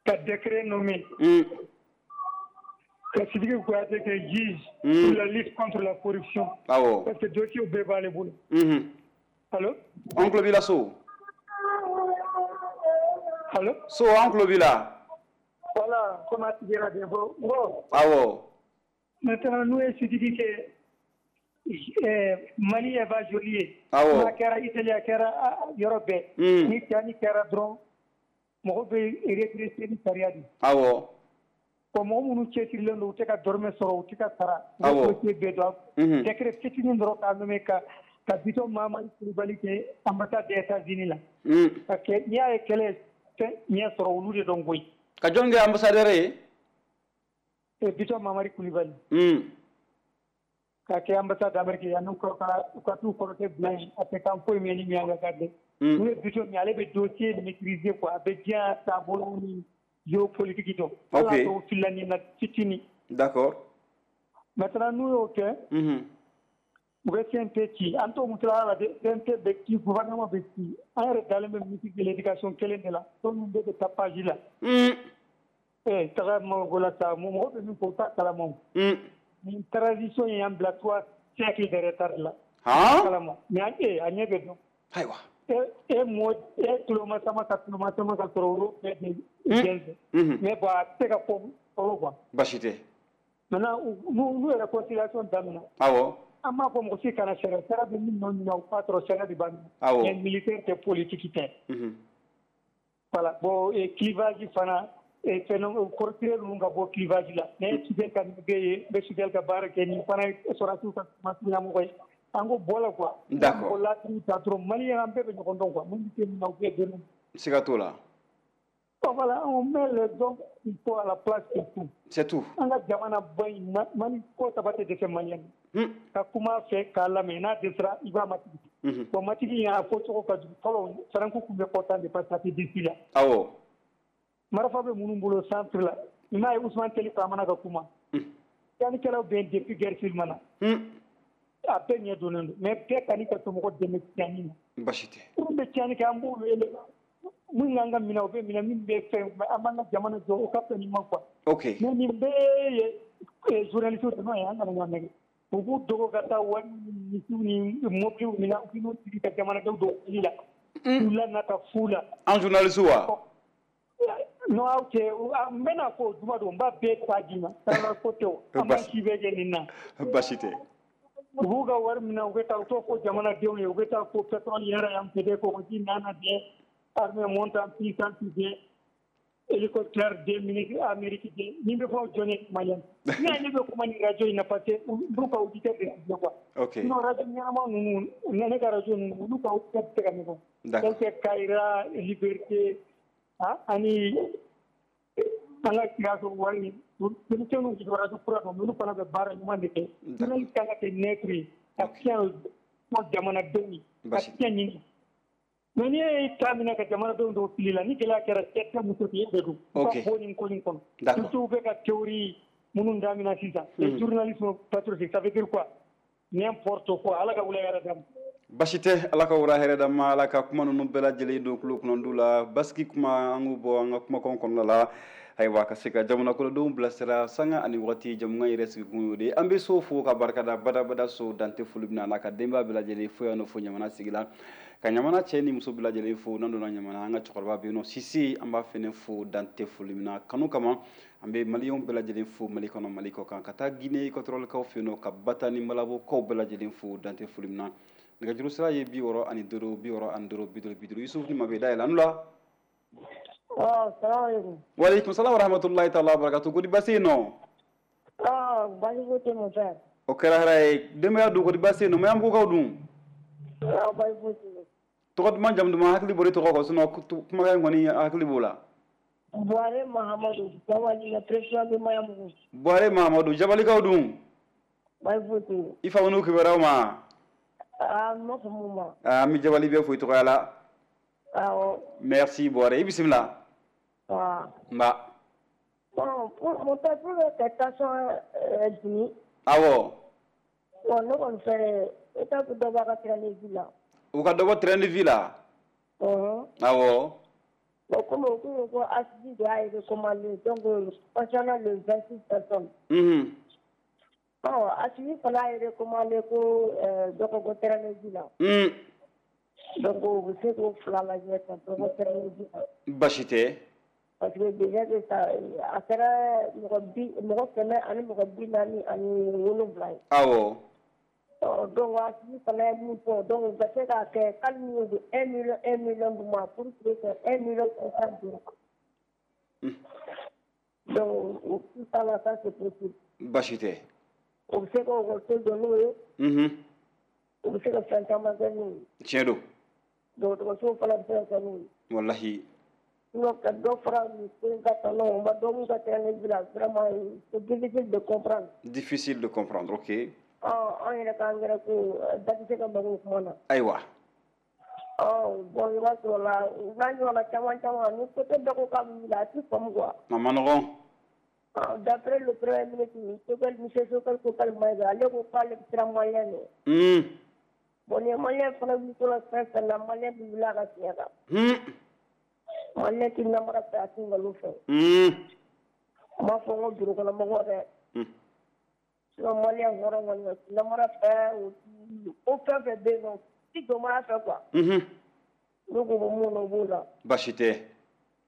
Ka décret nommé. Ka Sidiki Kouyaté kɛ juge pour la lutte contre la corruption. Awɔ. Parce que dossier bɛɛ b'ale bolo. Allo? An tulo b'i la so. Allo? So, an tulo b'i la. Voilà, comme a tigi yɛrɛ fɔ bon. Awɔ. Maintenant n'u ye Sidiki kɛ Mali va joli ye. Awɔ. A kɛra Italie, a kɛra yɔrɔ bɛɛ. Ni tiɲɛni kɛra dɔrɔn, mɔgɔ bɛ redresser ni sariya de. Awɔ. Bon, mɔgɔ minnu cɛsirilen don, u tɛ ka dɔrɔmɛ sɔrɔ, u tɛ ka sara. Awɔ. U bɛ dossier bɛɛ dɔn. Décret fitinin dɔrɔn k'a nommé ka ka Bitɔn Mahamadu Kulubali kɛ ambassade des États-Unis la. Parce que n'i y'a ye kɛlɛ fɛn ɲɛ sɔrɔ, olu de dɔn koyi. Ka jɔn kɛ ambassadeur ye? Bitɔn Mamari Kulibali. K'a kɛ ambassade d'Amérique yan, n'u ka u ka t'u kɔrɔkɛ bila yen, a tɛ kan foyi mɛn ni miyanka ka dɛ. N'u ye Bitɔn min, ale bɛ dossier maîtriser quoi, a bɛ diɲɛ taabolo ni géopolitique dɔn. Ok. Ala t'o filila nin na fitinin. D'accord. Maintenant n'u y'o kɛ, u bɛ C N T ci, an t'o musala la dɛ, C N T bɛ ci, gouvernement bɛ ci, an yɛrɛ dalen bɛ ministre de l'éducation kelen de la, tɔ ninnu bɛɛ bɛ taa page la. Eh, taga mɔgɔ la sa, mɔgɔ bɛ min fɔ, u t'a kalama o. Nin transition in y'an bila trois siècles de retard la. Han? Kalama mais an eh a ɲɛ bɛ dɔn. Ayiwa. E e mɔ e tuloma sama ka tuloma sama ka sɔrɔ olu bɛɛ de jɛnsɛn. Mais bon, a tɛ se ka fɔ fɔlɔ quoi. Basi tɛ. Maintenant n'u n'u yɛrɛ réconciliation daminɛ. Awɔ. An m'a fɔ mɔgɔ si kana sariya, sariya bɛ min nɔ ɲini, o b'a sɔrɔ sariya de b'a minɛ. Awɔ. Mais militaire tɛ, politique tɛ. Voilà, bon, et clivage fana, fɛn kɔrɔtire ninnu ka bɔ clivage la. Ne ye Sudel ka bɛ ye, n bɛ Sudel ka baara kɛ, nin fana ye sɔrɔdasiw ka ɲɛmɔgɔ ye. An ko bɔ la quoi. D'accord. Mɔgɔ laturu ta dɔrɔn, Maliyɛn an bɛɛ bɛ ɲɔgɔn dɔn quoi, mun bɛ se min na, u bɛɛ dɔn. Siga t'o la. Bon voilà, on met les hommes qu'il faut à la place qu'il faut. C'est tout. An ka jamana ba in, Mali ko saba tɛ dɛsɛ Maliyɛn na. Ka kuma a fɛ k'a lamɛn, n'a dɛsɛra i b'a matigi. Bon, matigi in a fɔ cogo ka jugu fɔlɔ, Faranku tun bɛ content de parce que a tɛ disi la. Awɔ. Marifa bɛ minnu bolo centre la, i m'a ye Ousmane Teli Famana ka kuma. Tiɲɛnikɛlaw bɛ yen depuis guerre civile ma na. A bɛɛ ɲɛ donnen don, mais bɛɛ kan'i ka somɔgɔ dɛmɛ tiɲɛni na. Basi tɛ. Minnu bɛ tiɲɛni kɛ, an b'u wele. Min k'an ka minɛ, o bɛ minɛ, min bɛ fɛn, an b'an ka jamana jɔ, o ka fɛn ɲuman quoi. Ok. Mais nin bɛɛ ye journaliste de ye, an kana ɲɔgɔn nɛgɛ. U b'u dogo ka taa wari ni misiw ni mobiliw minɛ, u b'u sigi ka jamanadenw don fili la. K'u lanata fu la. An journaliste wa? Non, aw cɛ, n bɛna fɔ juma don, n b'a bɛɛ ta d'i ma. Sarala ko tɛ o, an b'an si bɛɛ kɛ nin na. Basi tɛ. U b'u ka wari minɛ, u bɛ taa u t'o fɔ jamanadenw ye, u bɛ taa fɔ pétrole yɛrɛ yan peut-être kɔgɔji nana dɛ, armée monte en puissance dɛ, hélicoptère des ministres Amérique dɛ, nin bɛ fɔ jɔn ye? Maliyɛn. Ne ne bɛ kuma ni radio in na parce que olu ka auditeur de ciblé quoi. Ok. Sinon radio ɲɛnama ninnu, ne ka radio ninnu, olu ka auditeur tɛ se ka ɲɔgɔn. D'accord. Tel que Kayira, Liberté, ah, ani an ka Sikaso wari denmisɛnninw bɛ radio kura dɔn, olu fana bɛ baara ɲuman de kɛ. Journaliste kan ka kɛ neutre ye, ka tiɲɛ fɔ jamanadenw ye, ka tiɲɛ ɲini. Mais n'i ye ta minɛ ka jamanadenw dɔw fili la, ni gɛlɛya kɛra cɛ tɛ muso tɛ, e de don. U ka bɔ nin ko nin kɔnɔ. Surtout u bɛ ka théorie minnu daminɛ sisan. Les journalistes patriotiques, ça veut dire quoi? N'importe quoi. Ala ka wula hɛrɛ d'an ma. Basi tɛ, Ala ka wura hɛrɛ d'an ma, Ala ka kuma ninnu bɛɛ lajɛlen don tulo kunnandiw la. Basigi kuma, an k'u bɔ an ka kumakanw kɔnɔna la. Ayiwa, ka se ka jamana kɔnɔdenw bilasira sanga ani waati, jamukan yɛrɛ sigikun y'o de ye. An bɛ so fo ka barikada badabada, so dante foli bɛna n'a ka denbaya bɛɛ lajɛlen fo yan nɔ, fo ɲamana sigi la, ka ɲamana cɛ ni muso bɛɛ lajɛlen fo. N'an donna ɲamana, an ka cɛkɔrɔba bɛ yen nɔ, Sise, an b'a fɛnɛ fo dante foli min na kanu kama. An bɛ maliyɛnw bɛɛ lajɛlen fo Mali kɔnɔ, Mali kɔ kan, ka taa Guinée équatoriale fɛ yen nɔ, ka Bata ni Malabokaw bɛɛ lajɛlen fo dante foli min na. Nɛgɛjuru sira ye bi wɔɔrɔ ani duuru, bi wɔɔrɔ ani duuru, bi duuru, bi duuru. Yusufu ni ma bɛ dayɛlɛ an la. Salaamaaleykum. Waaleykum salaam wa rahmatulahi taala wa barakatu. Kodi baasi yen nɔ? Ah, baasi foyi tɛ mon frère. O kɛra hɛrɛ ye. Denbaya dun, kodi baasi yen nɔ? Maɲanbugukaw dun? Ah, baasi foyi tɛ yen. Tɔgɔ duman, jamu duman, hakili bɔra i tɔgɔ kɔ, sinon kumakan in kɔni hakili b'o la. Buware Mahamadu, Jabali, le président de Maɲanbugu. Buware Mahamadu, Jabalikaw dun? Baasi foyi tɛ yen. I fa n'u kibaruyaw ma? Ah, n ma faamu ma. Ah, an bɛ Jabali bɛɛ fo i tɔgɔya la. Awɔ. Merci Buware, i bisimila. Ah. Nba. Bon, pour mon père, pour que tension dimi. Awɔ. Bon, ne kɔni fɛ, État bɛ dɔ bɔ a ka train de vie la. U ka dɔ bɔ train de vie la? Ɔhɔn. Awɔ. Bon, comme o ko ko Assimi de y'a recommandé, donc concernant les vingt-six personnes. Mhm. Bon, Assimi fana y'a recommandé ko dɔ ka bɔ train de vie la. Mm. Donc u bɛ se k'o fila lajɛ ka dɔ bɔ train de vie la. Basi tɛ. Parce que déjà que ça a kɛra mɔgɔ bi mɔgɔ kɛmɛ ani mɔgɔ bi naani ani wolonwula ye. Awɔ. Ɔ donc Assimi fana ye min fɔ, donc u ka se k'a kɛ hali ni y'o don un million un million d'u ma pour que un million cinq cent d'u ma. Donc tout ça là, ça c'est possible. Baasi tɛ. O bɛ se ka ekɔliso jɔ n'o ye. Unhun. O bɛ se ka fɛn caman kɛ n'o ye. Tiɲɛ don. Dɔgɔtɔrɔso fana bɛ se ka kɛ n'o ye. Walahi. Sinon ka dɔ fara nin ko in ka tɔnɔ, o ma dɔ mun ka terrain bila, vraiment c'est difficile de comprendre. Difficile de comprendre, ok. Ɔ an yɛrɛ ka angɛrɛ ko da tɛ se ka mago o kuma na. Ayiwa. Ɔ bon, i b'a sɔrɔ la n'a ɲɔgɔnna caman caman, ni côté dɔ ko k'a bɛ wuli, a tɛ faamu quoi. A ma nɔgɔn. D'après le premier ministre Choguel, monsieur Choguel Kokalla Maïga, ale ko k'ale bɛ siran malien ɲɛ. Un. Bon, ni malien fana wulitɔla fɛn fɛn na, malien bɛ wuli a ka tiɲɛ kan. Un. Malien tɛ namara fɛ, a tɛ nkalon fɛ. Un. N m'a fɔ n ko bureau kɔnɔ mɔgɔw dɛ. Un. Sinon malien hɔrɔn kɔni o tɛ namara fɛ, o ti ko fɛn fɛn bɛ yen nɔ, o ti jɔnmaya fɛ quoi. Unhun. N'u ko bɛ mun na, o b'o la. Baasi tɛ.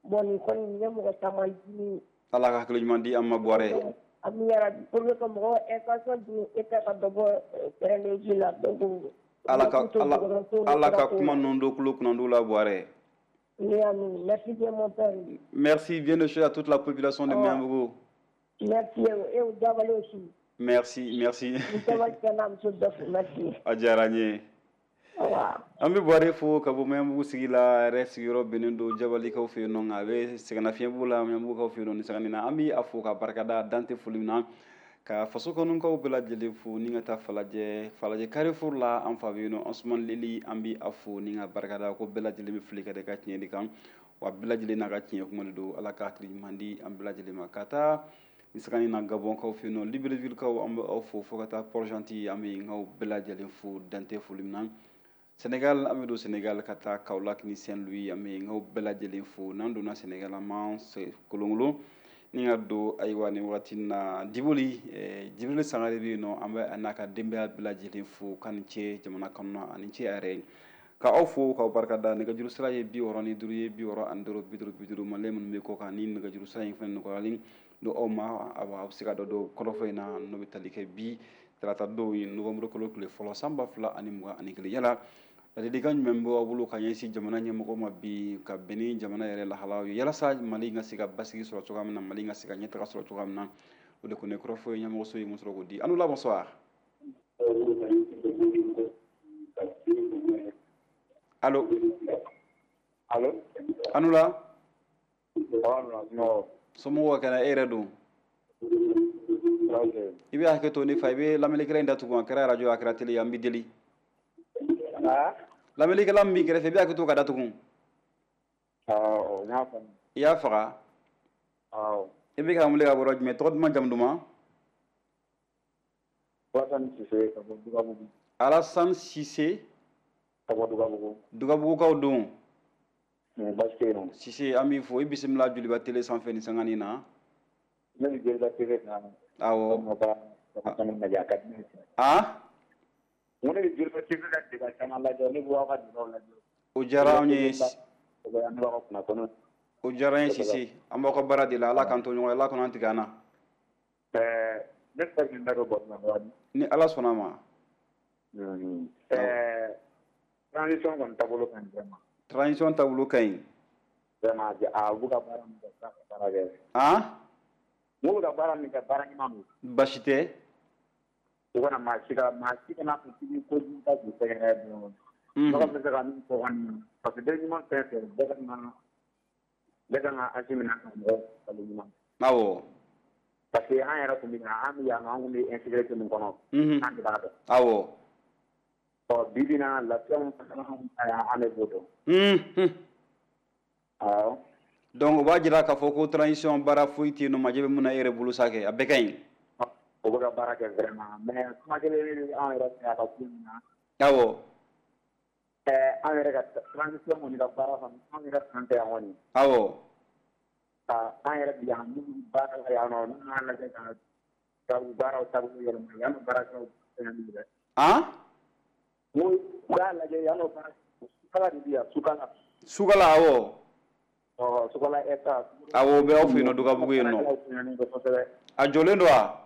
Bon, nin kɔni nin ye mɔgɔ caman dimi. Ala ka hakili ɲuman di an ma, Buwarɛ. Ami yarabi, pour que ka mɔgɔw intention di État ka dɔ bɔ terrain de vie la, donc. Ala ka ala ala ka kuma ninnu don tulo kunnandiw la, Buwarɛ. Merci bien, mon père. Merci bien de à toute la population de Oh. Magnambougou. Merci et au Diabali aussi. Merci, merci. Merci. A diyara n ye. An bɛ Buwarɛ fo ka bɔ Magnambougou sigi la, a yɛrɛ sigiyɔrɔ bɛnnen don Jabalikaw fɛ yen nɔ, nka a bɛ sɛgɛnnafiɲɛ la Magnambougoukaw fɛ yen nɔ nin sanga nin na. An bɛ a fo ka barikada dan tɛ foli min na, ka faso kɔnɔkaw bɛɛ lajɛlen fo ni ka taa Falajɛ, Falajɛ Carrefour la, an fa bɛ yen nɔ, Ansoumane Leli, an bɛ a fo ni ka barikada ko bɛɛ lajɛlen bɛ fili ka da i ka tiɲɛ de kan, wa bɛɛ lajɛlen n'a ka tiɲɛ kuma de don. Ala ka hakili ɲuman di an bɛɛ lajɛlen ma. Ka taa nin sanga nin na Gabɔnkaw fɛ yen nɔ, Libreville-kaw, an bɛ aw fo, fo ka taa Port-Gentil, an bɛ aw bɛɛ lajɛlen fo dan tɛ foli min na. Sénégal, an bɛ don Sénégal ka taa Kaolack ni Saint-Louis, an bɛ aw bɛɛ lajɛlen fo. N'an donna Sénégal, an b'an kolonkolon ni ka don. Ayiwa, nin wagati in na Diboli, Jibril Sangare bɛ yen nɔ, an bɛ a n'a ka denbaya bɛɛ lajɛlen fo k'a ni ce jamana kɔnɔna ani ce a yɛrɛ ye. Ka aw fo k'aw barikada. Nɛgɛjuru sira ye bi wɔɔrɔ ni duuru ye, bi wɔɔrɔ ani duuru, bi duuru, bi duuru. Malien minnu bɛ kɔ kan, ni nɛgɛjuru sira in fana nɔgɔyalen don aw ma, awa aw bɛ se ka dɔ don kɔrɔfɔ in na, n'o bɛ tali kɛ bi tarata don ye, novembre kalo tile fɔlɔ, san ba fila ani mugan ani kelen. Yala ladilikan jumɛn bɛ aw bolo ka ɲɛsin jamana ɲɛmɔgɔ ma bi, ka bɛn ni jamana yɛrɛ lahalaw ye, yalasa Mali ka se ka basigi sɔrɔ cogoya min na, Mali ka se ka ɲɛtaga sɔrɔ cogoya min na? O de kɔni ye kɔrɔfɔ ye ɲɛmɔgɔso ye mun sɔrɔ k'o di. An la, bonsoir. Allo? Allo? Anu la. Non. Somɔgɔw ka kɛnɛ? E yɛrɛ don? I bɛ hakɛ to ne fa, i bɛ lamɛnnikɛla in datugu. A kɛra arajo, a kɛra télé ye, an b'i deli. Lamɛnnikɛla min b'i kɛrɛfɛ, i bɛ hakɛ to ka datugu. Awɔ, n y'a faamu. I y'a faga? Awɔ. I bɛ k'an wele ka bɔ yɔrɔ jumɛn? Tɔgɔ duman, jamu duman? Alassane Cissé ka bɔ Dugabugu. Alassane Cissé. Ka bɔ Dugabugu. Dugabugukaw don? Baasi tɛ yen nɔ. Cissé, an b'i fo, i bisimila Joliba télé sanfɛ nin sanga nin na. Ne bɛ Joliba T V kan. Awɔ. Ka caman lajɛ, a ka di ne ye. Ah? N ko ne bɛ Joliba T V ka débat caman lajɛ, ne b'aw ka débat lajɛ. O diyara anw ye. An b'aw ka kunnafoni. O diyara an ye, Cissé. An b'aw ka baara de la. Ala k'an to ɲɔgɔn ye, Ala kana an tigɛ an na. Ɛɛ ne bɛ fɛ k'i da don baro la dɔɔnin. Ni Ala sɔnna a ma. Ɛɛ transition kɔni taabolo ka ɲi vraiment. Transition taabolo ka ɲi. Vraiment, a b'u ka baara min kɛ, u ka baara kɛ. Ah? N k'u bɛ ka baara min kɛ, baara ɲuman don. Baasi tɛ. U kana maa si ka maa si kana fɔ k'i bɛ kojugu ta k'u sɛgɛrɛ dɔrɔn. Mɔgɔ bɛ se ka min fɔ kɔni, parce que den ɲuman fɛn fɛn bɛɛ ka kan bɛɛ kan ka Assimi n'a ka mɔgɔw falen ɲuman. Awɔ. Parce que an yɛrɛ tun bɛ an bɛ yan nɔ, an tun bɛ insécurité min kɔnɔ. An de b'a dɔn. Awɔ. Ɔ bi bi in na, lafiya min fana an de b'o dɔn. Awɔ. Donc o b'a jira k'a fɔ ko transition baara foyi tɛ yen nɔ, majɛ bɛ mun na e yɛrɛ bolo sa kɛ, a bɛɛ ka ɲi. O bɛ ka baara kɛ vraiment, mais kuma kelen bɛ anw yɛrɛ fɛ a ka ko in na. Awɔ. Ɛɛ an yɛrɛ ka transition kɔni ka baara kɔni, anw yɛrɛ fan fɛ yan kɔni. Awɔ. Ka an yɛrɛ bi yan minnu baara la yan nɔ, n'u y'a lajɛ ka ka u baaraw taabolo yɛlɛma, yan nɔ baarakɛlaw fɛngɛ min dɛ. Han? N ko u k'a lajɛ yan nɔ baara, sukala de bɛ yan, sukala. Sukala, awɔ. Ɔ Sokola S A. Awɔ, o bɛ aw fɛ yen nɔ Dugabugu yen nɔ. A jɔlen don wa?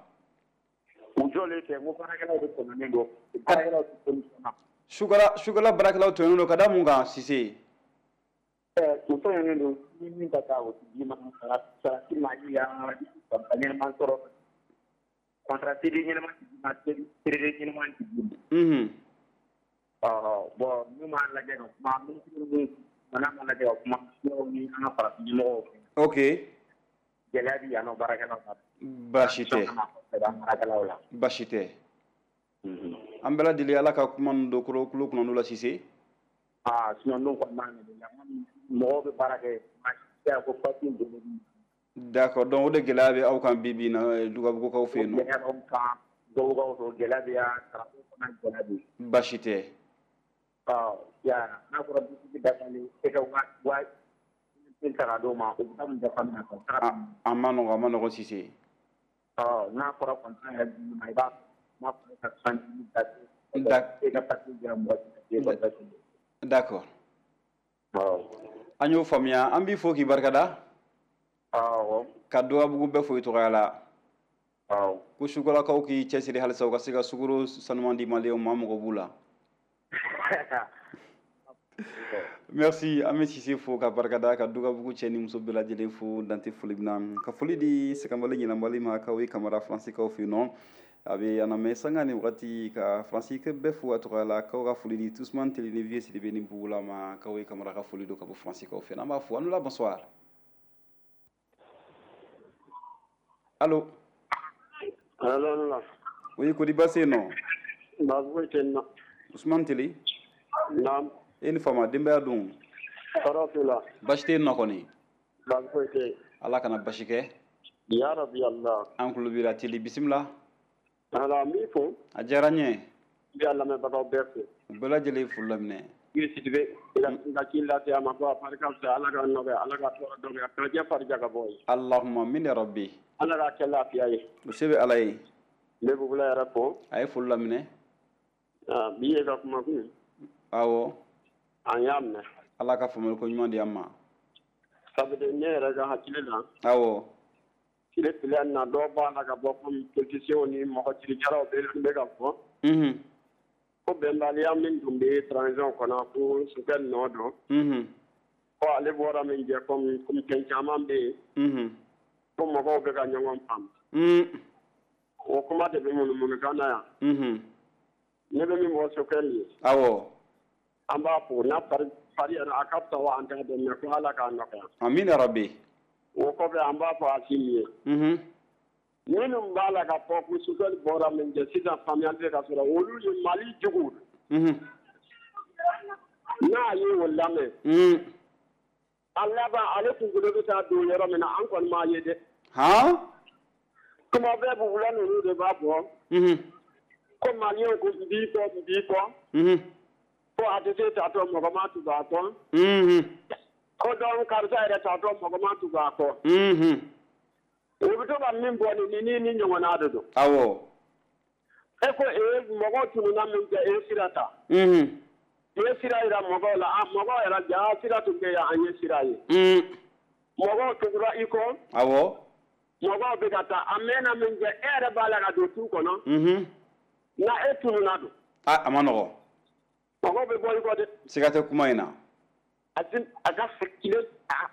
U jɔlen tɛ, n ko baarakɛlaw de tɔɲɔnen don. Baarakɛlaw tɛ solution na. Sukala Sukala baarakɛlaw tɔɲɔnen don ka da mun kan Sise? Ɛ u tɔɲɔnen don ni min ka taa o tɛ d'i ma, sara sara t'i ma, i ya ɲɛnama sɔrɔ. Contrat C D ɲɛnama tɛ d'i ma, C D ɲɛnama tɛ d'i ma. Unhun. Ɔ bon n'u m'a lajɛ ka kuma, minisiri ni mana m'a lajɛ ka kuma ni an ka farafin ɲɛmɔgɔw fɛ. Ok. Gɛlɛya bɛ yan nɔ baarakɛlaw la. Baasi tɛ. Baarakɛlaw la. Baasi tɛ. An bɛɛ lajɛlen Ala ka kuma ninnu don kulo kulo kunna la Sise. Aa sinon n'o kɔni m'a ɲɛ mɔgɔw bɛ baara kɛ ko papiye bolo. D'accord, donc o de gɛlɛya bɛ aw kan bi bi in na Dugabugukaw fɛ yen nɔ. Gɛlɛya b'anw kan Dugabugukaw fɛ, gɛlɛya bɛ yan, karamɔgɔw fana gɛlɛya bɛ yen. Baasi tɛ. Ɔ ya n'a fɔra dutigi dafalen e ka wa wa ta ka d'o ma, o bɛ taa mun dafa min na. A ma nɔgɔn, a ma nɔgɔn Sise. Ɔ n'a fɔra contrat yɛrɛ di ma, i b'a n'a fɔra ka soixante-dix e ka papiye dira mɔgɔ si. D'accord. An y'o faamuya, an b'i fo k'i barikada. Awɔ. Ka Dugabugu bɛɛ fo i tɔgɔya la. Awɔ. Ko Sukolakaw k'i cɛsiri halisa u ka se ka sukaro sanuman di maliyɛnw ma, an mago b'u la. Merci, an bɛ Sise fo ka barikada, ka Dugabugu cɛ ni muso bɛɛ lajɛlen fo dante foli min na. Ka foli di Sɛgɛnbali Ɲinanbali ma k'aw ye Kamara Faransikaw fɛ yen nɔ. A bɛ an lamɛn sanga ni wagati, ka Faransi bɛɛ fo a tɔgɔ la, k'aw ka foli di Tusman Teli ni Vieux Sidibe ni Bugula ma, k'aw ye Kamara ka foli don ka bɔ Faransikaw fɛ yen. An b'a fo. An la bonsoir. Allo. Allo. Oui, kodi baasi yen nɔ? Baasi foyi tɛ n na. Usman Teli. Naam. E ni fama, denbaya dun? Tɔɔrɔ t'u la. Baasi tɛ yen nɔ kɔni? Baasi foyi tɛ yen. Ala kana basi kɛ. Ya rabi Allah. An tulo b'i la Teli, bisimila. Ala, n b'i fo. A diyara n ye. N bɛ a lamɛnbagaw bɛɛ fo. U bɛɛ lajɛlen ye foli laminɛ. I Sidibe, i ka ci lase a ma ko a barika fisa, Ala ka nɔgɔya, Ala ka tɔɔrɔ dɔgɔya, ka jɛ farija ka bɔ ye. Allahumma min ya rabbi. Ala k'a kɛ lafiya ye. O se bɛ Ala ye. N bɛ Bugula yɛrɛ fo. A ye foli laminɛ. Bi ye ka kuma kun. Awɔ. An y'a minɛ. Ala ka faamuyali ko ɲuman di an ma. Sabu ne yɛrɛ ka hakili la. Awɔ. Tile tile na dɔw b'a la ka bɔ komi politiciens ni mɔgɔ cirikɛlaw bɛ bɛ ka fɔ. Unhun. Ko bɛnbaliya min tun bɛ transition kɔnɔ ko sokɛ nɔ don. Unhun. Ko ale bɔra min jɛ komi komi fɛn caman bɛ yen. Unhun. Ko mɔgɔw bɛ ka ɲɔgɔn faamu. Un. O kuma de bɛ munumunukan na yan. Unhun. Ne bɛ min fɔ sokɛ nin ye. Awɔ. An b'a fo n'a fari fari yɛrɛ a ka fisa wa an t'a dɔn mɛ ko Ala k'a nɔgɔya. Amina rabi. O kɔfɛ an b'a fɔ Asimi ye. Unhun. Minnu b'a la ka fɔ ko Sokɛli bɔra min kɛ sisan faamuyali bɛ ka sɔrɔ olu ye Mali juguw. Unhun. N'a ye o lamɛn. Un. A laban ale kunkolo bɛ taa don yɔrɔ min na an kɔni m'a ye dɛ. Han? Kuma bɛɛ Bugula ninnu de b'a fɔ. Unhun. Ko Maliyɛnw ko n b'i kɔ n b'i kɔ. Unhun. Ko A T T tatɔ mɔgɔ ma tugu a kɔ. Unhun. Ko donc karisa yɛrɛ tatɔ mɔgɔ ma tugu a kɔ. Unhun. U bɛ to ka min bɔ nin ni ni ɲɔgɔnna de don. Awɔ. E ko ee mɔgɔw tununna min kɛ e sira ta. Unhun. I ye sira jira mɔgɔw la, a mɔgɔw yɛrɛ ja sira tun bɛ yan an ye sira ye. Un. Mɔgɔw tugura i kɔ. Awɔ. Mɔgɔw bɛ ka taa a mɛnna min kɛ e yɛrɛ b'a la ka don tu kɔnɔ. Unhun. Na e tununna don. A a ma nɔgɔn. Mɔgɔw bɛ bɔ i kɔ dɛ. Siga tɛ kuma in na. A ti a ka hakili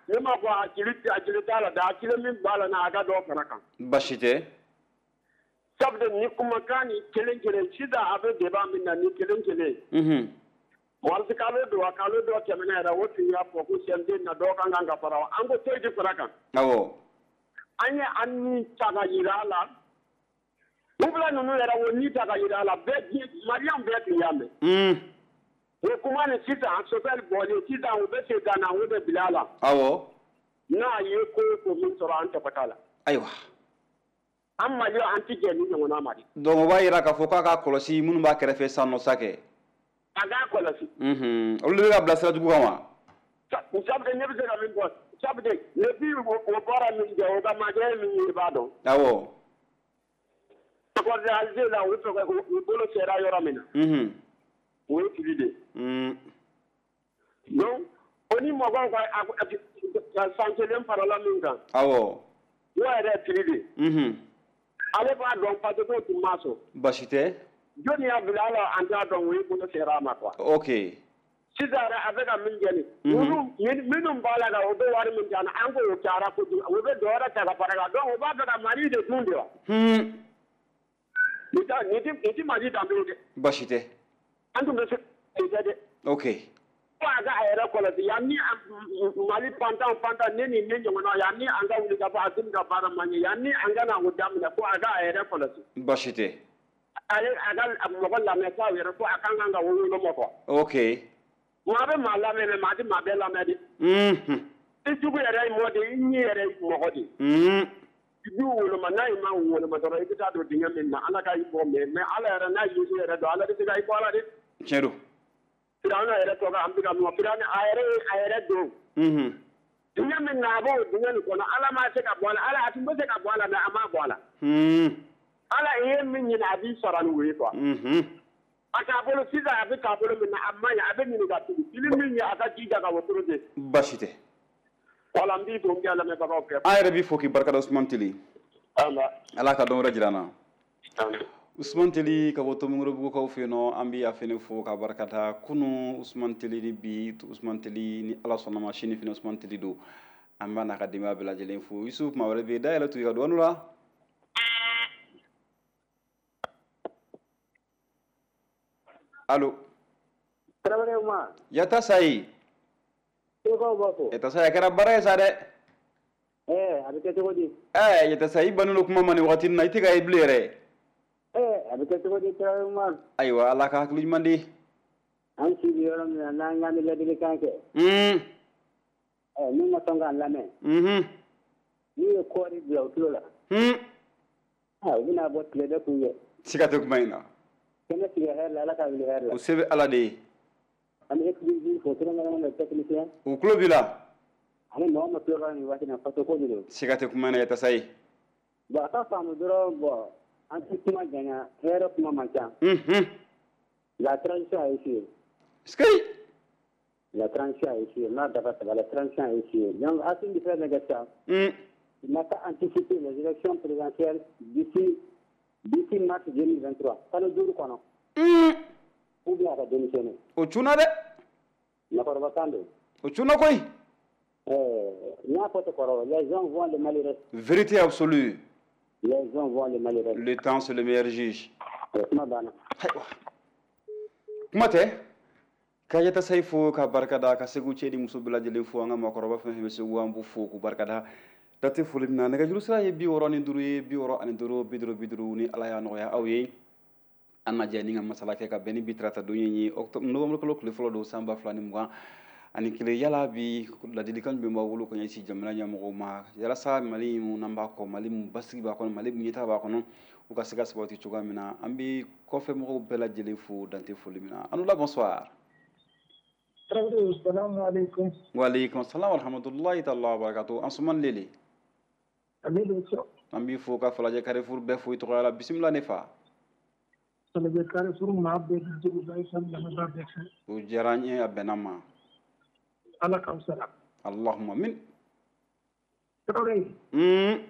ne m'a fɔ hakili hakili t'a la dɛ, hakili min b'a la n'a ka dɔ fara kan. Baasi tɛ. Sabu ni kumakan ni kelen kelen sisan a bɛ débat min na ni kelen kelen. Unhun. Waati kalo don a kalo dɔ tɛmɛna yɛrɛ o tun y'a fɔ ko C N T na dɔ kan kan ka fara an ko foyi tɛ fara kan. Awɔ. An ye an ni ta ka jira a la. Bugula ninnu yɛrɛ o ni ta ka jira a la bɛɛ diɲɛ Maliyɛnw bɛɛ tun y'a mɛn. Un. O kuma ni sisan Sokɛli bɔlen sisan u bɛ segin ka na o de bila a la. Awɔ. N'a ye ko o ko min sɔrɔ an tɔgɔ t'a la. Ayiwa. An Maliyɛnw an ti jɛ ni ɲɔgɔnna ma dɛ. Donc o b'a jira k'a fɔ k'a k'a kɔlɔsi minnu b'a kɛrɛfɛ sisan nɔ sa kɛ. A k'a kɔlɔsi. Unhun. Olu de bɛ ka bila sira jugu kan wa? Sabu ne bɛ se ka min fɔ sabu depuis o bɔra min kɛ o ka majɛ min ye i b'a dɔn. Awɔ. Accordé Alger la u tɔgɔ u bolo sera yɔrɔ min na. Unhun. O ye fili de ye. Un. Donc O ni mɔgɔw ka san kelen farala min kan. Awɔ. O yɛrɛ ye prix de. Unhun. Ale b'a dɔn parce que k'o tun ma sɔn. Baasi tɛ. Jɔnni y'a bila a la an t'a dɔn o ye bolo sera a ma quoi. Ok. Sisan yɛrɛ a bɛ ka min kɛ nin. Olu minnu b'a la o bɛ wari min di an na an k'o cayara kojugu o bɛ dɔ wɛrɛ ta ka fara kan donc o b'a fɛ ka Mali de dun de wa. Un. Nin tɛ nin tɛ Mali danbe ye dɛ. Baasi tɛ. An tun bɛ se k'o kɛ dɛ. Ok. Ko a ka a yɛrɛ kɔlɔsi yan ni Mali pantan pantan ne ni ne ɲɔgɔnna yan ni an ka wuli ka bɔ Assimi ka baara man ɲɛ yan ni an ka na o daminɛ ko a ka a yɛrɛ kɔlɔsi. Baasi tɛ. Ale a ka mɔgɔ lamɛn k'a yɛrɛ ko a kan kan ka woloma quoi. Ok. Maa bɛ maa lamɛn mais maa tɛ maa bɛɛ lamɛn dɛ. Unhun. I jugu yɛrɛ ye mɔgɔ de ye i ɲi yɛrɛ ye mɔgɔ de ye. Un. I b'u woloma n'a ma woloma dɔrɔn i bɛ taa don dingɛ min na Ala ka i bɔ mais mais Ala yɛrɛ n'a y'i yɛrɛ dɔn Ala bɛ se ka i bɔ a la dɛ. Tiɲɛ don. Firawuna yɛrɛ tɔgɔ an bɛ ka mun Firawuna a yɛrɛ a yɛrɛ don. Unhun. Dingɛ min na a b'o dingɛ nin kɔnɔ Ala ma se ka bɔ a la Ala a tun bɛ se ka bɔ a la mais a ma bɔ a la. Un. Ala i ye min ɲini a b'i sara ni o ye quoi. Unhun. A taabolo sisan a bɛ taabolo min na a ma ɲi a bɛ ɲini ka tugu fili min ye a ka jija ka wotoro de. Baasi tɛ. Voilà n b'i fo n k'i lamɛnbagaw bɛɛ. An yɛrɛ b'i fo k'i barikada Ousmane Teli. Ala ka dɔn wɛrɛ jira an na. Ousmane Teli ka bɔ Tomikɔrɔbugukaw fɛ yen nɔ an bɛ a fɛnɛ fo ka barikada kunun Ousmane Teli ni bi Ousmane Teli ni Ala sɔnna ma sini fɛnɛ Ousmane Teli don an b'a n'a ka denbaya bɛɛ lajɛlen fo Yusuf maa wɛrɛ bɛ yen dayɛlɛ to i ka dɔɔnin la. Allo. Tarawele Umar. Yata Sayi. Segukaw b'a fɔ. Yata Sayi a kɛra baara ye sa dɛ. Ɛɛ a bɛ kɛ cogo di? Ɛɛ Yata Sayi i bannen don kuma ma nin wagati in na i tɛ ka ye bilen yɛrɛ. Ɛɛ a bɛ kɛ cogo di Tarawele Umar? Ayiwa Ala ka hakili ɲuman di. An si bɛ yɔrɔ min na n'an k'an bɛ ladilikan kɛ. Un. Ɛɛ min ma sɔn k'an lamɛn. Unhun. N'u ye kɔɔri bila u tulo la. Un. Aa u bɛna bɔ tile bɛ kun ye. Siga tɛ kuma in na. Kɛnɛ sigi hɛrɛ la Ala ka wuli hɛrɛ la. O se bɛ Ala de ye. An bɛ équipe fo kɛrɛnkɛrɛnnenya la technicien. U tulo b'i la. Ani mɔgɔ min tulo b'a la nin waati in na faso ko de don. Siga tɛ kuma in na Yata Sayi. Bon a ka faamu dɔrɔn bon an tɛ kuma janya hɛrɛ kuma man ca. Unhun. La transition a échoué. Sikeyi. La transition a échoué n'a dafa saba la transition a échoué donc Assimi bɛ fɛn min kɛ sisan. Un. Il n'a qu'à anticiper les élections présidentielles d'ici d'ici mars deux mille vingt-trois kalo duuru kɔnɔ. Un. Ou bien a ka démissionner. O cunna dɛ. Makɔrɔba kan don. O cunna koyi. Ɛɛ n y'a fɔ ten kɔrɔ les gens voient le malheureux. Vérité absolue. Les gens voient le malheureux. Le temps c'est le meilleur juge. Kuma banna. Ayiwa. Kuma tɛ. Ka Yata Sayi fo ka barikada ka Segu cɛ ni muso bɛɛ lajɛlen fo an ka maakɔrɔba fɛn fɛn bɛ Segu an b'u fo k'u barikada. Date foli min na nɛgɛjuru sira ye bi wɔɔrɔ ni duuru ye bi wɔɔrɔ ani duuru bi duuru bi duuru ni Ala y'a nɔgɔya aw ye. An na jɛ ni ka masala kɛ ka bɛn ni bi tarata don ye octobre novembre kalo tile fɔlɔ don san ba fila ni mugan ani kelen yala bi ladilikan jumɛn b'aw bolo ka ɲɛsin jamana ɲɛmɔgɔw ma walasa Mali mun n'an b'a kɔ Mali mun basigi b'a kɔnɔ Mali mun ɲɛtaga b'a kɔnɔ u ka se ka sabati cogoya min na an bɛ kɔfɛ mɔgɔw bɛɛ lajɛlen fo dante foli min na. An la bonsoir. Tarawele salamu aleykum. Wa aleykum salam wa rahmatulahi taala wa barakatuh. Ansuman Lele. An b'i fo ka Falajɛ Carrefour bɛɛ fo i tɔgɔya la bisimila ne fa. Falajɛ Carrefour maa bɛɛ Joliba F M lamɛnbaa bɛɛ fɛ. O diyara n ye a bɛnna ma. Ala k'aw sara. Allahumma amin. Tarawele. Un.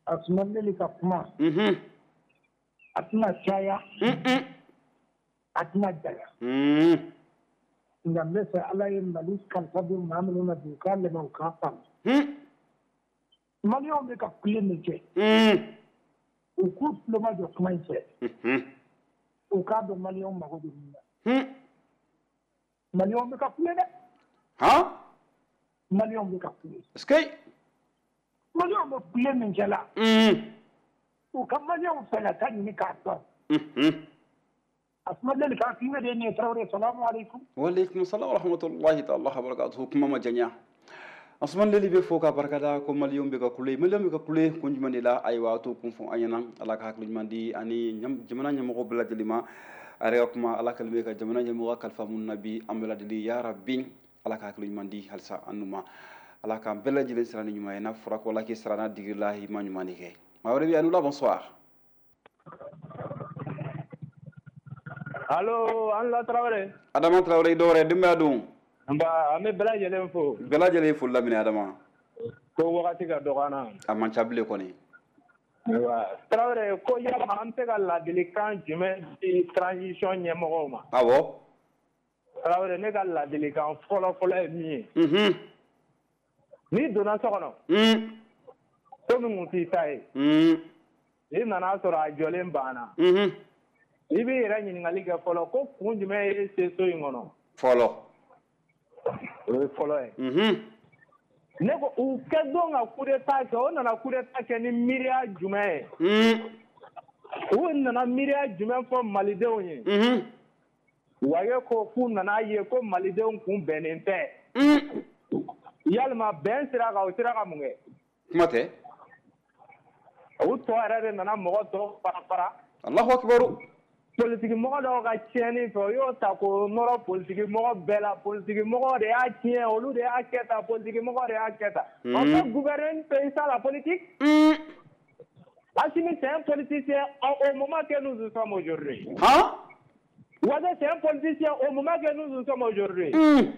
Asuman Lele ka kuma. Unhun. A tɛna caya. Un. A tɛna janya. Un. Nka n bɛ fɛ Ala ye Mali kalifa don maa minnu na bi u k'a lamɛn u k'a faamu. Un. Maliyɛnw bɛ ka kule min kɛ. Un. U k'u tulo majɔ kuma in fɛ. Unhun. U k'a dɔn maliyɛnw mago bɛ min na. Un. Maliyɛnw bɛ ka kule dɛ. Han. Maliyɛnw bɛ ka kule. Sikeyi. Maliyɛnw bɛ kule min kɛ la. Un. U ka maliyɛnw fɛlata ɲini k'a dɔn. Unhun. Asuma Lele ka hakilina de ye nin ye Tarawele salamu aleykum. Wa aleykum salam wa rahmatulahi taala wa barakatuh. Kuma ma janya. Asuman Lele bɛ fo ka barikada ko maliyɛnw bɛ ka kule maliyɛnw bɛ ka kule kun jumɛn de la ayiwa a t'o kun fɔ an ɲɛna Ala ka hakili ɲuman di ani jamana ɲɛmɔgɔw bɛɛ lajɛlen ma a yɛrɛ ka kuma Ala kɛlen bɛ ka jamana ɲɛmɔgɔ kalifa minnu na bi an bɛɛ lajɛlen ya rabi Ala ka hakili ɲuman di halisa an n'u ma Ala k'an bɛɛ lajɛlen sira ni ɲuman ye n'a fɔra ko Ala k'i sara n'a digiri la i ma ɲuman de kɛ maa wɛrɛ bɛ yen a n'u la bonsoir. Allo an la Tarawele. Adama Tarawele i dɔwɛrɛ denbaya dun. Nba an bɛ bɛɛ lajɛlen fo. Bɛɛ lajɛlen foli laminɛ Adama. Ko wagati ka dɔgɔ an na. A man ca bilen kɔni. Ayiwa Tarawele, ko yalama an bɛ se ka ladilikan jumɛn di transition ɲɛmɔgɔw ma? Awɔ. Tarawele, ne ka ladilikan fɔlɔ fɔlɔ ye min ye. Unhun. N'i donna so kɔnɔ. Un. So min kun t'i ta ye. Un. I nana sɔrɔ a jɔlen banna. Unhun. I b'i yɛrɛ ɲininkali kɛ fɔlɔ ko kun jumɛn ye se so in kɔnɔ? Fɔlɔ. O ye fɔlɔ ye. Unhun. Ne ko u kɛ don ka coup d'état kɛ, o nana coup d'état kɛ ni miiriya jumɛn ye? Un. U nana miiriya jumɛn fɔ malidenw ye? Unhun. Waye ko k'u nana ye ko malidenw kun bɛnnen tɛ. Un. Yalima bɛn sira kan, o sera ka mun kɛ? Kuma tɛ. U tɔ yɛrɛ de nana mɔgɔ tɔw fara fara. Allahu akibaru. Politiki mɔgɔ dɔw ka tiɲɛni fɛ, o y'o ta k'o nɔrɔ politiki mɔgɔ bɛɛ la. Politiki mɔgɔ de y'a tiɲɛ, olu de y'a kɛ tan, politiki mɔgɔ de y'a kɛ tan. On peut gouverner un pays sans la politique? Mm. Assimi, c'est un politicien au moment que nous nous sommes aujourd'hui. Hein? Ouattara, c'est un politicien au moment que nous nous sommes aujourd'hui. Mm.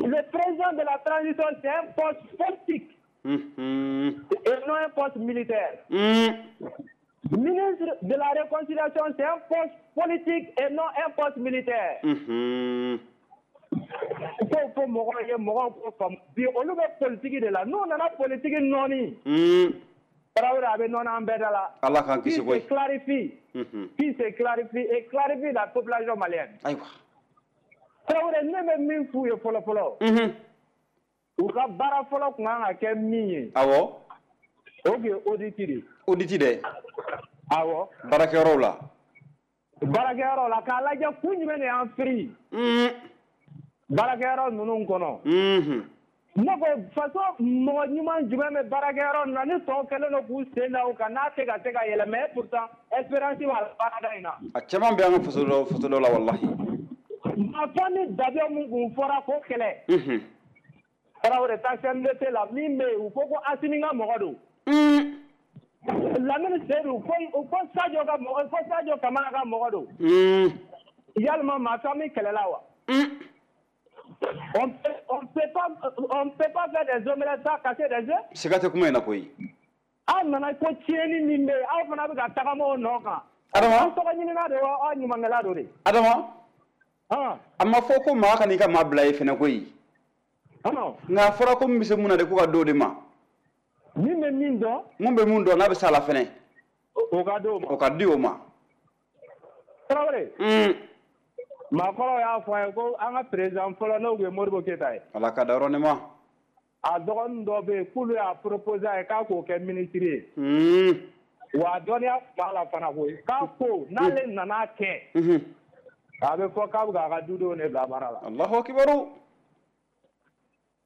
Le président de la transition, c'est un poste politique. Mm-hmm. Et non un poste militaire. Mm. Ministre de la Réconciliation, c'est un poste politique et non un poste militaire. Ko fo mɔgɔw ye mɔgɔw ko faamu bi, olu bɛ politique de la. N'u nana politique nɔɔni. Tarawele, a bɛ nɔɔni an bɛɛ da la. Ala k'an kisi koyi. Qui se clarifie. Qui se clarifie et clarifie la population malienne. Ayiwa. Tarawele, ne bɛ min f'u ye fɔlɔ fɔlɔ. U ka baara fɔlɔ tun kan ka kɛ min ye. Awɔ. O tun ye audit de ye. Audit dɛ. Awɔ. Baarakɛyɔrɔw la. Baarakɛyɔrɔw la, k'a lajɛ kun jumɛn de y'an firi. Baarakɛyɔrɔ ninnu kɔnɔ. Ne ko faso mɔgɔ ɲuman jumɛn bɛ baarakɛyɔrɔ ninnu na ni tɔw kɛlen don k'u sen da o kan n'a tɛ ka se ka yɛlɛ, mais pourtant espérance b'a baarada in na. A caman bɛ an ka faso dɔ faso dɔ la walahi. Marifa ni dabiya mun kun fɔra k'o kɛlɛ. Tarawele, taa C N D T la min bɛ yen, u ko ko Asimi ka mɔgɔ don. Lamini Seydou, ko ko Sadio ka mɔgɔ, ko Sadio Kamara ka mɔgɔ don. Yalima marifa min kɛlɛla wa? On peut, on peut pas, on peut pas faire des omelettes sans casser des œufs. Siga tɛ kuma in na koyi. Aw nana ko tiɲɛni min bɛ yen, aw fana bɛ ka tagama o nɔ kan. Adama. Aw tɔgɔ ɲinina de wa, aw ɲumankɛla don de. Adama. A ma fɔ ko maa kan'i ka maa bila ye fɛnɛ koyi. Nka a fɔra ko min bɛ se mun na de, ko ka d'o de ma. Min bɛ min dɔn. Mun bɛ mun dɔn n'a bɛ s'a la fɛnɛ. O ka d'o ma. O ka di o ma. Tarawele. Maakɔrɔw y'a fɔ an ye ko an ka président fɔlɔ n'o tun ye Modibo Keyita ye. Ala ka da yɔrɔ ne ma. A dɔgɔnin dɔ bɛ yen k'olu y'a proposé a ye k'a k'o kɛ ministre ye. Wa a dɔnniya tun b'a la fana koyi. K'a ko n'ale nana kɛ. A bɛ fɔ k'a bɛ k'a ka dudenw de bila baara la. Alahu akibaru.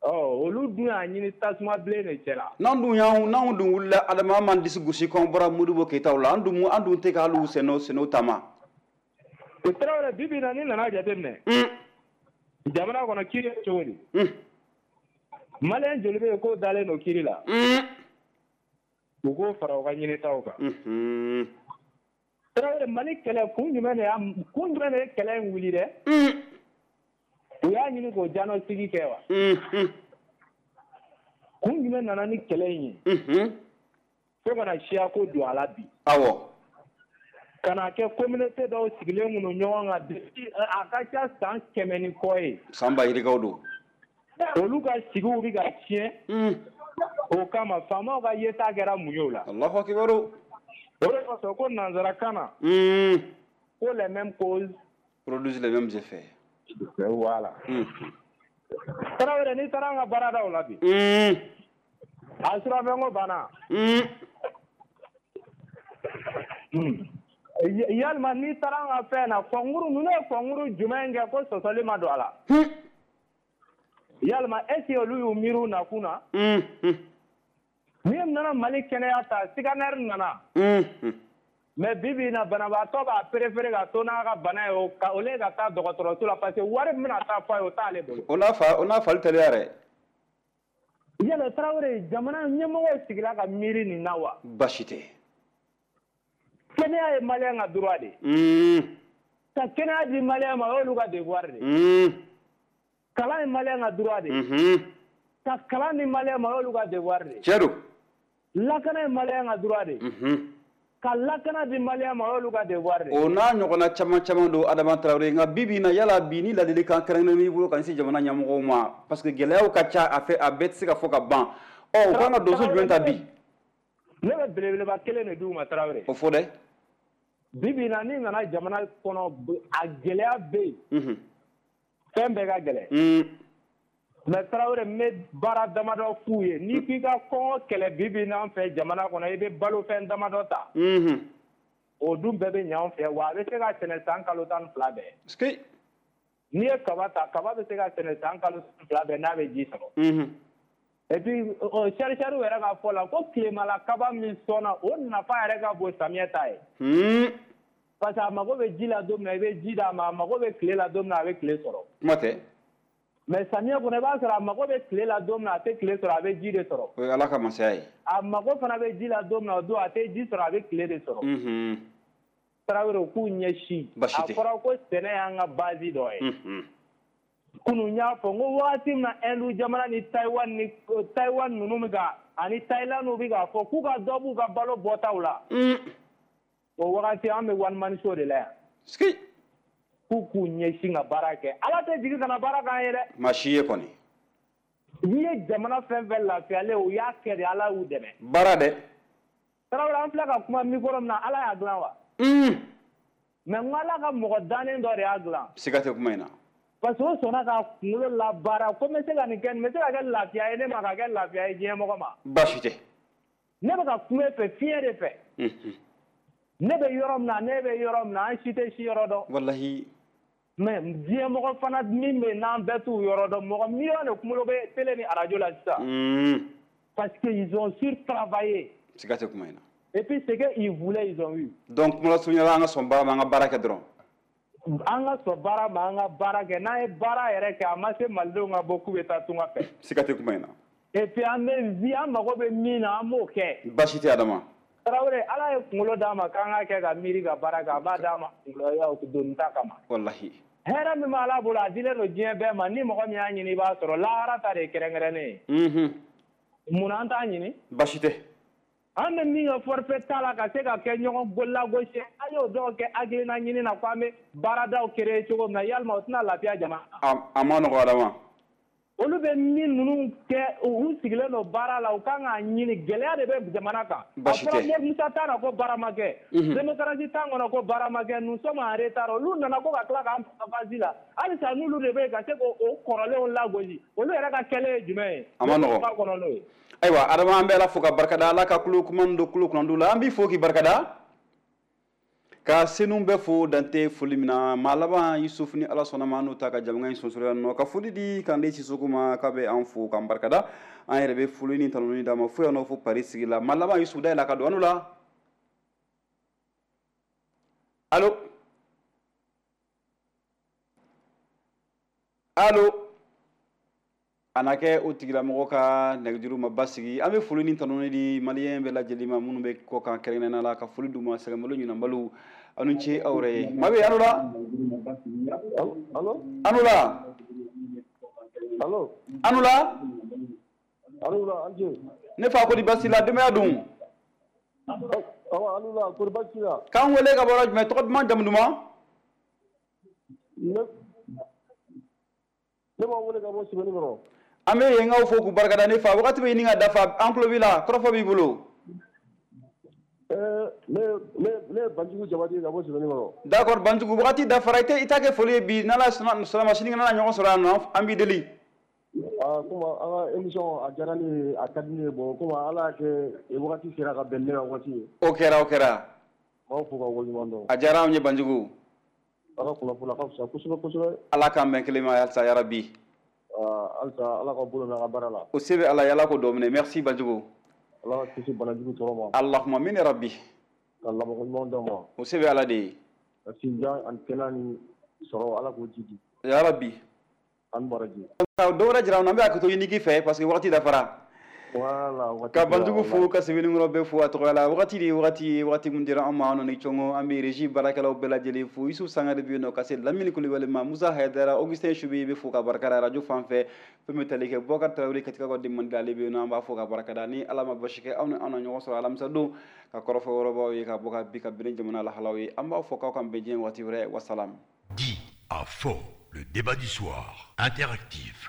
Ɔ olu dun y'a ɲini tasuma bilen de cɛ la. N'an dun y'an n'anw dun wulila Adama, an m'an disi gosi k'an bɔra Modibo Keyitaw la, an dun an dun tɛ k'hali u sen'o sen'o taama. O Tarawele, bi bi in na n'i nana jateminɛ. Jamana kɔnɔ kiiri ye cogo di? Maliyɛn joli bɛ yen k'o dalen don kiiri la? U k'o fara u ka ɲinitaw kan. Tarawele, Mali kɛlɛ kun jumɛn de y'a kun jumɛn de ye kɛlɛ in wuli dɛ? U y'a ɲini k'o diagnostic kɛ wa? Kun jumɛn nana ni kɛlɛ in ye? Fo kana siya ko don a la bi. Awɔ. Ka na kɛ communauté dɔw sigilen kun don ɲɔgɔn kan depuis a ka ca san kɛmɛ ni kɔ ye. San ba yirikaw don. Olu ka sigiw bɛ ka tiɲɛ. O kama faamaw ka yeta kɛra mun ye o la? Alahu akibaru. O de kosɔn ko nanzarakan na. Ko les mêmes causes produisent les mêmes effets. Voilà. Tarawele, n'i taara an ka baaradaw la bi. A surafɛnko banna. Yalima n'i taara an ka fɛn na, kɔnkuru ninnu ye kɔnkuru jumɛn kɛ ko sɔsɔli ma don a la? Yalima est-ce que olu y'u miiri u nakun na? N'i nana Mali kɛnɛya ta, scanner nana. Mais bi bi in na, banabaatɔ b'a préféré ka to n'a ka bana ye o au lieu ka taa dɔgɔtɔrɔso la, parce que wari min bɛna taa fɔ a ye, o t'ale bolo. O n'a fa o n'a fali teliya yɛrɛ. Yala Tarawele, jamana ɲɛmɔgɔw sigila ka miiri nin na wa? Baasi tɛ. Kɛnɛya ye maliyɛn ka droit de ye. Ka kɛnɛya di maliyɛn ma, o y'olu ka devoir de ye. Kalan ye malien ka droit de ye. Ka kalan di malien ma o y'olu ka devoir de ye. Tiɲɛ don. Lakana ye malien ka droit de ye. Ka lakana di malien ma o y'olu ka devoir de ye. O n'a ɲɔgɔnna caman caman don Adama Traoré, nka bi bi in na yala bi ni ladilikan kɛrɛnkɛrɛnnen b'i bolo ka ɲɛsin jamana ɲɛmɔgɔw ma, parce que gɛlɛyaw ka ca a fɛ, a bɛɛ tɛ se ka fɔ ka ban. Ɔ, u kan ka donso jumɛn ta bi? Ne bɛ belebeleba kelen de d'u ma Traoré. O fɔ dɛ. Bi bi in na n'i nana jamana kɔnɔ, a gɛlɛya bɛ yen. Fɛn bɛɛ ka gɛlɛn. Mais Traoré, n bɛ baara damadɔ f'u ye. N'i k'i ka kɔngɔ kɛlɛ bi bi in na an fɛ jamana kɔnɔ, i bɛ balofɛn damadɔ ta. O dun bɛɛ bɛ ɲɛ anw fɛ, wa a bɛ se ka sɛnɛ san kalo tan ni fila bɛɛ. N'i ye kaba ta, kaba bɛ se ka sɛnɛ san kalo tan ni fila bɛɛ n'a bɛ ji sɔrɔ. Et puis chercheurs yɛrɛ ka fɔ la ko tilemala kaba min sɔnna, o nafa yɛrɛ ka bon samiyɛ ta ye. Parce que a mago bɛ ji la don min na, i bɛ ji d'a ma, a mago bɛ tile la don min na, a bɛ tile sɔrɔ. Kuma tɛ. Mais samiyɛ kɔnɔ, i b'a sɔrɔ a mago bɛ tile la don min na, a tɛ tile sɔrɔ, a bɛ ji de sɔrɔ. O ye Ala ka masaya ye. A mago fana bɛ ji la don min na, o don a tɛ ji sɔrɔ, a bɛ tile de sɔrɔ. Tarawele, u k'u ɲɛsin. Basi tɛ. A fɔra ko sɛnɛ y'an ka base dɔ ye. Kunun n y'a fɔ n ko wagati min na Inde jamana ni Taïwan ni Taïwan ninnu bɛ ka ani Thaïlande bɛ k'a fɔ k'u ka dɔ b'u ka balo bɔtaw la. O wagati an bɛ one man show de la yan. K'u k'u ɲɛsin ka baara kɛ. Ala tɛ jigin ka na baara k'an ye dɛ. Maa si ye kɔni. N'i ye jamana fɛn fɛn lafiyalen, u y'a kɛ de, Ala y'u dɛmɛ. Baara dɛ. Tarawele, an filɛ ka kuma micro min na, Ala y'a dilan wa? Mais n ko Ala ka mɔgɔ dannen dɔ de y'a dilan. Siga tɛ kuma in na. Parce que o sɔnna ka kunkolo labaara ko n bɛ se ka nin kɛ, nin bɛ se ka kɛ lafiya ye ne ma, ka kɛ lafiya ye diɲɛ mɔgɔ ma. Baasi tɛ. Ne bɛ ka kuma e fɛ fiɲɛ de fɛ. Ne bɛ yɔrɔ min na, ne bɛ yɔrɔ min na, an si tɛ si yɔrɔ dɔn. Walahi. Mais diɲɛ mɔgɔ fana min bɛ yen n'an bɛɛ t'u yɔrɔ dɔn, mɔgɔ miliyɔn de kunkolo bɛ télé ni radio la sisan. Parce que ils ont surtravaillé. Siga tɛ kuma in na. Et puis ce qu'ils voulaient, ils ont eu. Donc kuma lasurunya la, an ka sɔn baara ma, an ka baara kɛ dɔrɔn. An ka sɔn baara ma, an ka baara kɛ. N'an ye baara yɛrɛ kɛ, a ma se malidenw ka bɔ k'u bɛ taa tunga fɛ. Siga tɛ kuma in na. Et puis an bɛ vi, an mago bɛ min na, an b'o kɛ. Baasi tɛ Adama. Tarawele, Ala ye kunkolo d'a ma k'an ka kɛ ka miiri ka baara kɛ, a b'a d'a ma kunkoloya doni ta kama. Walahi. Hɛrɛ min bɛ Ala bolo, a dilen don diɲɛ bɛɛ ma. Ni mɔgɔ min y'a ɲini, i b'a sɔrɔ. Lahara ta de ye kɛrɛnkɛrɛnnen ye. Munna an t'a ɲini? Baasi tɛ. An bɛ min kɛ forfait ta la ka se ka kɛ ɲɔgɔn lagosi, an y'o dɔw kɛ hakilina ɲini na ko an bɛ baaradaw créer cogo min na, yalima o tɛna lafiya jamana? A ma nɔgɔ Adama. Olu bɛ min ninnu kɛ, u sigilen don baara la, u kan k'a ɲini. Gɛlɛya de bɛ jamana kan. Baasi tɛ. A fɔra Musa t'a la ko baara ma kɛ. Démocratie t'an kɔnɔ ko baara ma kɛ. Nous sommes en retard. Olu nana ko ka tila k'an bila la. Halisa n'olu de bɛ yen ka se k'o kɔrɔlenw lagosi, olu yɛrɛ ka kɛlen ye jumɛn ye? A ma nɔgɔ. Ayiwa Adama, an bɛ Ala fo ka barikada, Ala ka kulo kuma don kulo kunnandiw la. An b'i fo k'i barikada, ka senu bɛɛ fo dante foli min na. Maa laban Yusuf, ni Ala sɔnna ma, an n'o ta ka jamana in sonsoro yan nɔ, ka foli di Kande Sisoko ma, k'a bɛ an fo k'an barikada. An yɛrɛ bɛ foli ni tanuni d'a ma fo yan nɔ, fo Paris sigi la. Maa laban Yusuf, dayɛlɛ ka don an la. Allo, allo. A na kɛ o tigilamɔgɔ ka nɛgɛjuru ma basigi. An bɛ foli ni tanuni di maliyɛn bɛɛ lajɛlen ma minnu bɛ kɔ kan kɛrɛnkɛrɛnnenya la, ka foli d'u ma. Sɛgɛnbalo ɲinanbalo, aw ni ce aw yɛrɛ ye. Mabe, an la. An la. An la. Ne fa, ko di basi la, denbaya dun? K'an wele ka bɔ yɔrɔ jumɛn? Tɔgɔ duman, jamu duman? Ne b'aw wele ka bɔ Sebeninkɔrɔ. An bɛ yenkaw fo k'u barikada. Ne fa, wagati bɛ ɲini ka dafa, an tulo b'i la, kɔrɔfɔ b'i bolo. Ne ne ye Banjugu Jabate ka bɔ Sebeninkɔrɔ. D'accord Banjugu, wagati dafara, i tɛ i t'a kɛ foli ye bi, n'Ala sɔnna ma, sinikɛnɛ na ɲɔgɔn sɔrɔ yan nɔ, an b'i deli. Aa, komi an ka émission a diyara ne ye, a ka di ne ye. Bon, komi Ala y'a kɛ wagati sera ka bɛn ne ka wagati ye. O kɛra, o kɛra. N b'aw fo k'aw waleɲuman dɔn. A diyara anw ye Banjugu. Ala kunnafoni a ka fisa kosɛbɛ kosɛbɛ. Ala k'an bɛn kelen ma halisa yarabi. Halisa Ala ka bolo mɛn a ka baara la. O se bɛ Ala ye, Ala k'o dɔ minɛ. Merci Banjugu. Ala ka kisi banajugu tɔɔrɔ ma. Allahumma amina rabbi. Ka labanko ɲuman d'aw ma. O se bɛ Ala de ye. Ka sinjan ani kɛnɛya ni sɔrɔ, Ala k'o jidi. Yarabi. An baraji. Dɔ wɛrɛ jira an na, an bɛ hakɛto ɲini k'i fɛ parce que wagati dafara. Voilà. Ka Banjugu fo, ka Sɛbɛnnikɔrɔ bɛɛ fo a tɔgɔ la. Wagati de wagati wagati mun dira an ma, an ni cɔngɔ, an bɛ régie baarakɛlaw bɛɛ lajɛlen fo. Yusuf Sangare bɛ yen nɔ, ka se Lamini Kulibali ma, Musa Hayidara, Augustin Subi bɛ fo ka barika da radio fan fɛ. Fɛn bɛ tali kɛ Boubacar Traoré, Katika ka den mandi, ale bɛ yen nɔ, an b'a fo ka barika da. Ni Ala ma basi kɛ, aw ni an na ɲɔgɔn sɔrɔ alamisa don ka kɔrɔfɔ wɛrɛbaw ye ka bɔ ka bi ka bɛn jamana lahalaw ye. An b'a fɔ k'aw kan bɛn diɲɛ waati wɛrɛ. Wasalam. Dit à fond, le débat du soir, interactif.